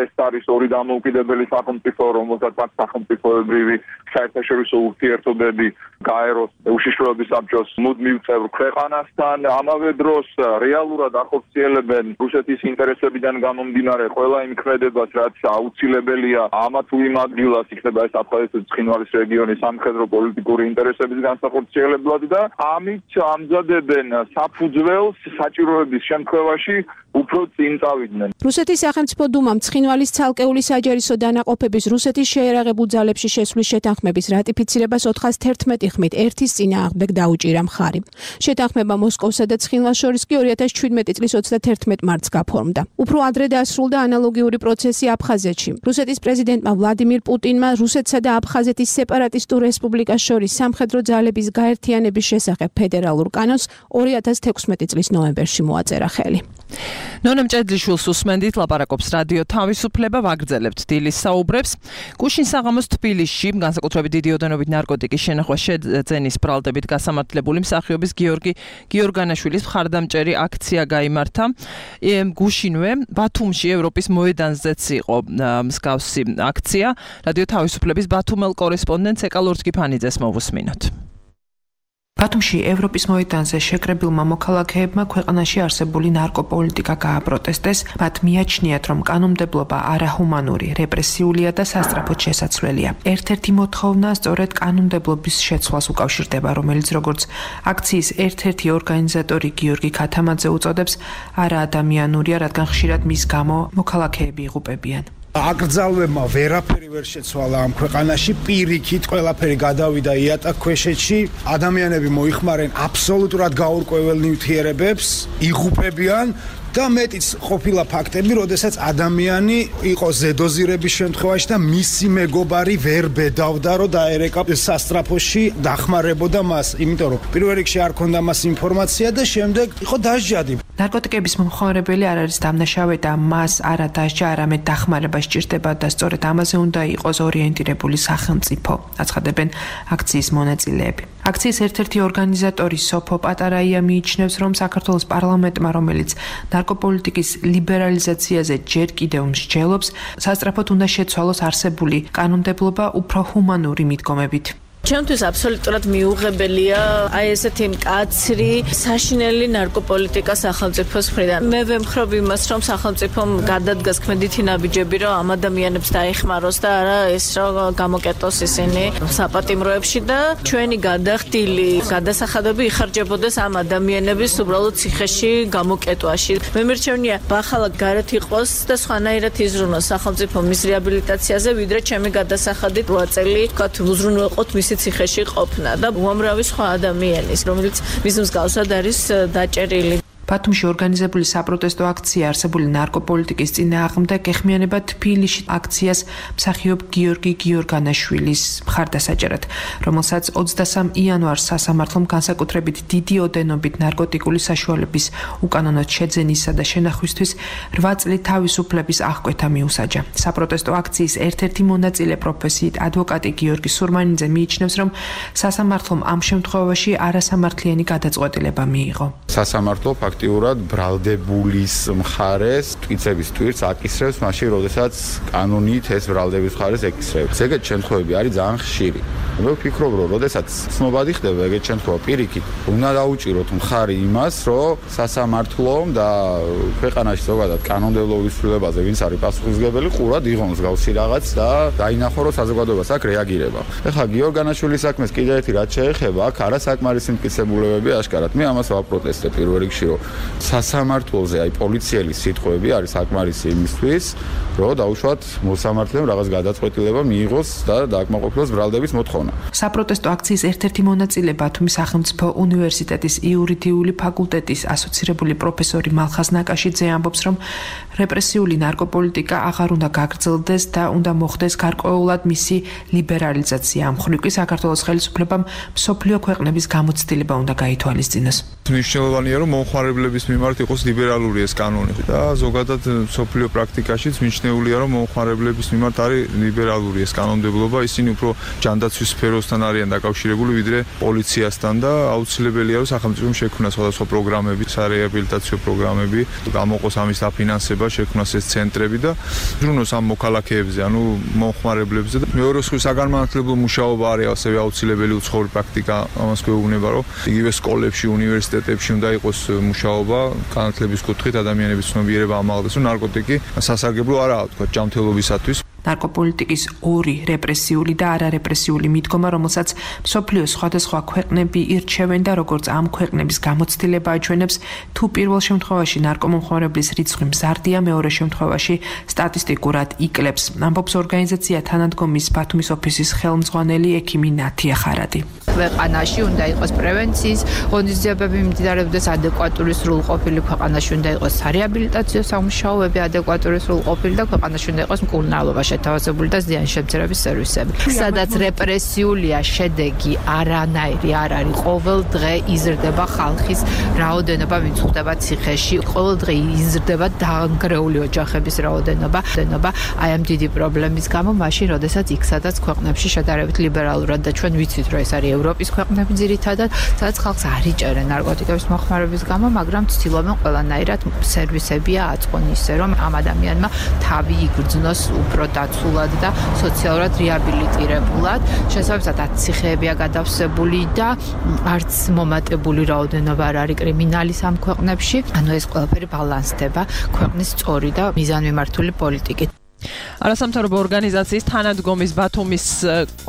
ეს არის ორი დამოუკიდებელი სახელმწიფო, რომელსაც აქვს სახელმწიფოებრივი საერთაშორისო ურთიერთობები გაეროს უშიშროების საბჭოს მუდმივ წევრ ქვეყანასთან. ამავე დროს რეალურად ახორციელებენ რუსეთის ინტერესებიდან გამომდინარე ყველა იმ ქმედებას, რაც აუცილებელია ამა თუ იმ ადგილას იქნება ეს აფხაზეთის ცხინვალის რეგიონის სამხედრო პოლიტიკური ინტერესების განსახორციელებლად და ამით ამზადებენ საფუძველს საჭიროების შემთხვევაში უფრო წინ წავიდნენ. რუსეთის სახელმწიფო დუმამ ცხინვალის ცალკეული საჯარისო დანაყოფების რუსეთის შეიარაღებულ ძალებში შესვლის შეთანხმების რატიფიცირებას 411 ხმით ერთის წინააღმდეგ დაუჭირა მხარი. შეთანხმება მოსკოვსა და ცხინვალს შორის კი 2017 წლის 31 მარტს გაფორმდა. უფრო ადრე დასრულდა ანალოგიური პროცესი აფხაზეთში. რუსეთის პრეზიდენტმა ვლადიმირ პუტინმა რუსეთსა და აფხაზეთის სეპარატისტულ რესპუბლიკას შორის სამხედრო ძალების გაერთიანების შესახებ ფედერალურ კანონს 2016 წლის ნოემბერში მოაწერა ხელი. ნონა მჭედლიშვილს უსმენდით, ლაპარაკობს რადიო თავისუფლება, ვაგრძელებთ დილის საუბრებს. გუშინ საღამოს თბილისში, განსაკუთრებით დიდი ოდენობით ნარკოტიკის შენახვა შეძენის ბრალდებით გასამართლებული მსახიობის გიორგი გიორგანაშვილის მხარდამჭერი აქცია გაიმართა. გუშინვე ბათუმში ევროპის მოედანზეც იყო მსგავსი აქცია. რადიო თავისუფლების ბათუმელ კორესპონდენტს ეკალ ორთქიფანიძეს მოვუსმინოთ. ბათუმში ევროპის მოედანზე შეკრებილმა მოქალაქეებმა ქვეყანაში არსებული ნარკოპოლიტიკა გააპროტესტეს. მათ მიაჩნიათ, რომ კანონმდებლობა არაჰუმანური, რეპრესიულია და სასწრაფოდ შესაცვლელია. ერთ-ერთი მოთხოვნა სწორედ კანონმდებლობის შეცვლას უკავშირდება, რომელიც როგორც აქციის ერთ-ერთი ორგანიზატორი გიორგი ქათამაძე უწოდებს, არაადამიანურია, რადგან ხშირად მის გამო მოქალაქეები იღუპებიან. აკრძალვებმა ვერაფერი ვერ შეცვალა ამ ქვეყანაში, პირიქით ყველაფერი გადავიდა იატაკქვეშეთში, ადამიანები მოიხმარენ აბსოლუტურად გაურკვეველ ნივთიერებებს, იღუპებიან და მეტიც ყოფილა ფაქტები, როდესაც ადამიანი იყო ზედოზირების შემთხვევაში და მისი მეგობარი ვერ ბედავდა, რომ დაერეკა სასტრაფოში, დახმარებოდა მას, იმიტომ რომ პირველ რიგში არ ქონდა მას ინფორმაცია და შემდეგ იყო დასჯადი. ნარკოტიკების მომხმარებელი არ არის დამნაშავე და მას არა დასჯა, არამედ დახმარება სჭირდება და სწორედ ამაზე უნდა იყოს ორიენტირებული სახელმწიფო, აცხადებენ აქციის მონაწილეები. აქციის ერთ-ერთი ორგანიზატორი სოფო პატარაია მიიჩნევს, რომ საქართველოს პარლამენტმა, რომელიც ნარკოპოლიტიკის ლიბერალიზაციაზე ჯერ კიდევ მსჯელობს, სასწრაფოდ უნდა შეცვალოს არსებული კანონმდებლობა უფრო ჰუმანური მიდგომებით. ჩემთვის აბსოლუტურად მიუღებელია აი ესეთი მკაცრი საშინელი ნარკოპოლიტიკა სახელმწიფოს მხრიდან. მე ვემხრობ იმას, რომ სახელმწიფომ გადადგას ქმედითი ნაბიჯები, რომ ამ ადამიანებს დაეხმაროს და არა ეს რომ გამოკეტოს ისინი საპატიმროებში და ჩვენი გადახდილი გადასახადები იხარჯებოდეს ამ ადამიანების უბრალოდ ციხეში გამოკეტვაში. მე მერჩევნია ბახალად გარეთ იყოს და სხვანაირად იზრუნოს სახელმწიფო მის რეაბილიტაციაზე, ვიდრე ჩემი გადასახადით 8 წელი ვთქვათ უზრუნველყოთ მის ციხეში ყოფნა და უამრავი სხვა ადამიანის, რომელიც მის მსგავსად არის დაჭერილი. ბათუმში ორგანიზებული საპროტესტო აქცია არსებული ნარკოპოლიტიკის წინააღმდეგ ეხმიანება თბილისში აქციას მსახიობ გიორგი გიორგანაშვილის მხარდასაჭერად, რომელსაც 23 იანვარს სასამართლომ განსაკუთრებით დიდი ოდენობით ნარკოტიკული საშუალების უკანონოდ შეძენისა და შენახვისთვის 8 წლით თავისუფლების აღკვეთა მიუსაჯა. საპროტესტო აქციის ერთ-ერთი მონაწილე პროფესიით ადვოკატი გიორგი სურმანიძე მიიჩნევს, რომ სასამართლომ ამ შემთხვევაში არასამართლიანი გადაწყვეტილება მიიღო. სასამართლო აქტიურად ბრალდებულის მხარეს ტვიცების ტვირთს აკისრებს მაშინ, როდესაც კანონით ეს ბრალდების მხარეს ეკისრებს. ეგეთ შემთხვევები არის ძალიან ხშირი. მე ვფიქრობ, რომ როდესაც ცნობადი ხდება ეგეთ შემთხვევა, პირიქით უნდა დაუჭიროთ მხარი იმას, რომ სასამართლომ და ქვეყანაში ზოგადად კანონმდებლობის ცვლილებაზე ვინც არის პასუხისმგებელი, ყურად იღონ მსგავსი რაღაც და დაინახო, რომ საზოგადოებას აქ რეაგირება. ეხლა გიორგანაშვილის საქმეს კიდევ ერთი რაც შეეხება, აქ არასაკმარისი მტკიცებულებები აშკარად. მე ამას ვაპროტესტებ პირველ რიგში, რომ სასამართლოზე აი პოლიციელის სიტყვები არის საკმარისი იმისთვის, რომ დაუშვათ მოსამართლემ რაღაც გადაწყვეტილება მიიღოს და დააკმაყოფილოს ბრალდების მოთხოვნა. საპროტესტო აქციის ერთ-ერთი მონაწილე ბათუმის სახელმწიფო უნივერსიტეტის იურიდიული ფაკულტეტის ასოცირებული პროფესორი მალხაზ ნაკაშიძე ამბობს, რომ რეპრესიული ნარკოპოლიტიკა აღარ უნდა გაგრძელდეს და უნდა მოხდეს გარკვეულად მისი ლიბერალიზაცია. ამ მხრივ კი საქართველოს ხელისუფლებამ მსოფლიო ქვეყნების გამოცდილება უნდა გაითვალისწინოს. მნიშვნელოვანია, რომ მომხმარებელი მომხმარებლების მიმართ იყოს ლიბერალური ეს კანონი და ზოგადად სოფლიო პრაქტიკაშიც მიჩნეულია რომ მომხმარებლების მიმართ არის ლიბერალური ეს კანონმდებლობა ისინი უფრო ჯანდაცვის სფეროსთან არიან დაკავშირებული ვიდრე პოლიციასთან და აუცილებელია რომ სახელმწიფომ შექმნა სხვადასხვა პროგრამები სარეაბილიტაციო პროგრამები გამოყოს ამის დაფინანსება შექმნას ეს ცენტრები და ზრუნოს ამ მოქალაქეებზე ანუ მომხმარებლებზე და მეორე საგანმანათლებლო მუშაობა არის ასევე აუცილებელი უცხოური პრაქტიკა ამას გვეუბნება რომ იგივე სკოლებში უნივერსიტეტებში უნდა იყოს მუშაობა განათლების კუთხით ადამიანების ცნობიერება ამაღლდეს რომ ნარკოტიკი სასარგებლო არაა თქვა ჯანმრთელობისათვის ნარკოპოლიტიკის ორი რეპრესიული და არარეპრესიული მიდგომა, რომელსაც მსოფლიოს სხვადასხვა ქვეყნები ირჩევენ და როგორც ამ ქვეყნების გამოცდილება აჩვენებს, თუ პირველ შემთხვევაში ნარკომომხმარებლის რიცხვი მზარდია, მეორე შემთხვევაში სტატისტიკურად იკლებს. ამბობს ორგანიზაცია თანადგომის ბათუმის ოფისის ხელმძღვანელი ექიმი ნათია ხარადი. ქვეყანაში უნდა იყოს პრევენციის ღონისძიებები მიმდინარეობდეს ადეკვატური სრულყოფილი ქვეყანაში უნდა იყოს სარეაბილიტაციო სამუშაოები ადეკვატური სრულყოფილი და ქვეყანაში უნდა იყოს მკურნალობა შეთავაზებული და ზიანშემცირების სერვისები. სადაც რეპრესიულია შედეგი არანაირი არ არის. ყოველ დღე იზრდება ხალხის რაოდენობა, ვინც ხვდება ციხეში. ყოველ დღე იზრდება დაანგრეული ოჯახების რაოდენობა. აი ამ დიდი პრობლემის გამო, მაშინ, როდესაც იქ სადაც ქვეყნებში შედარებით ლიბერალურად და ჩვენ ვიცით, რომ ეს არის ევროპის ქვეყნები ძირითადად, სადაც ხალხს არ იჭერენ ნარკოტიკების მოხმარების გამო, მაგრამ ცდილობენ ყველანაირად სერვისებია აწყონ ისე, რომ ამ ადამიანმა თავი იგრძნოს უფრო დაცულად და სოციალურად რეაბილიტირებულად. შესაბამისად, ციხეებია გადავსებული და არც მომატებული რაოდენობა არ არის კრიმინალის ამ ქვეყნებში. ანუ ეს ყველაფერი ბალანსდება ქვეყნის სწორი და მიზანმიმართული პოლიტიკით. არასამთავრობო ორგანიზაციის თანადგომის ბათუმის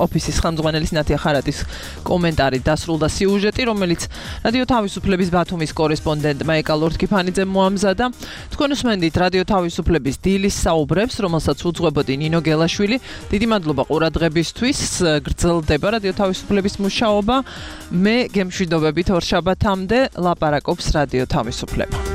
ოფისის ხელმძღვანელის ნათია ხარადის კომენტარი დასრულდა სიუჟეტი, რომელიც რადიო თავისუფლების ბათუმის კორესპონდენტმა ეკა ლორთქიფანიძემ მოამზადა. თქვენ უსმენდით რადიო თავისუფლების დილის საუბრებს, რომელსაც უძღვებოდი ნინო გელაშვილი. დიდი მადლობა ყურადღებისთვის. გრძელდება რადიო თავისუფლების მუშაობა. მე გემშვიდობებით ორშაბათამდე ლაპარაკობს რადიო თავისუფლება.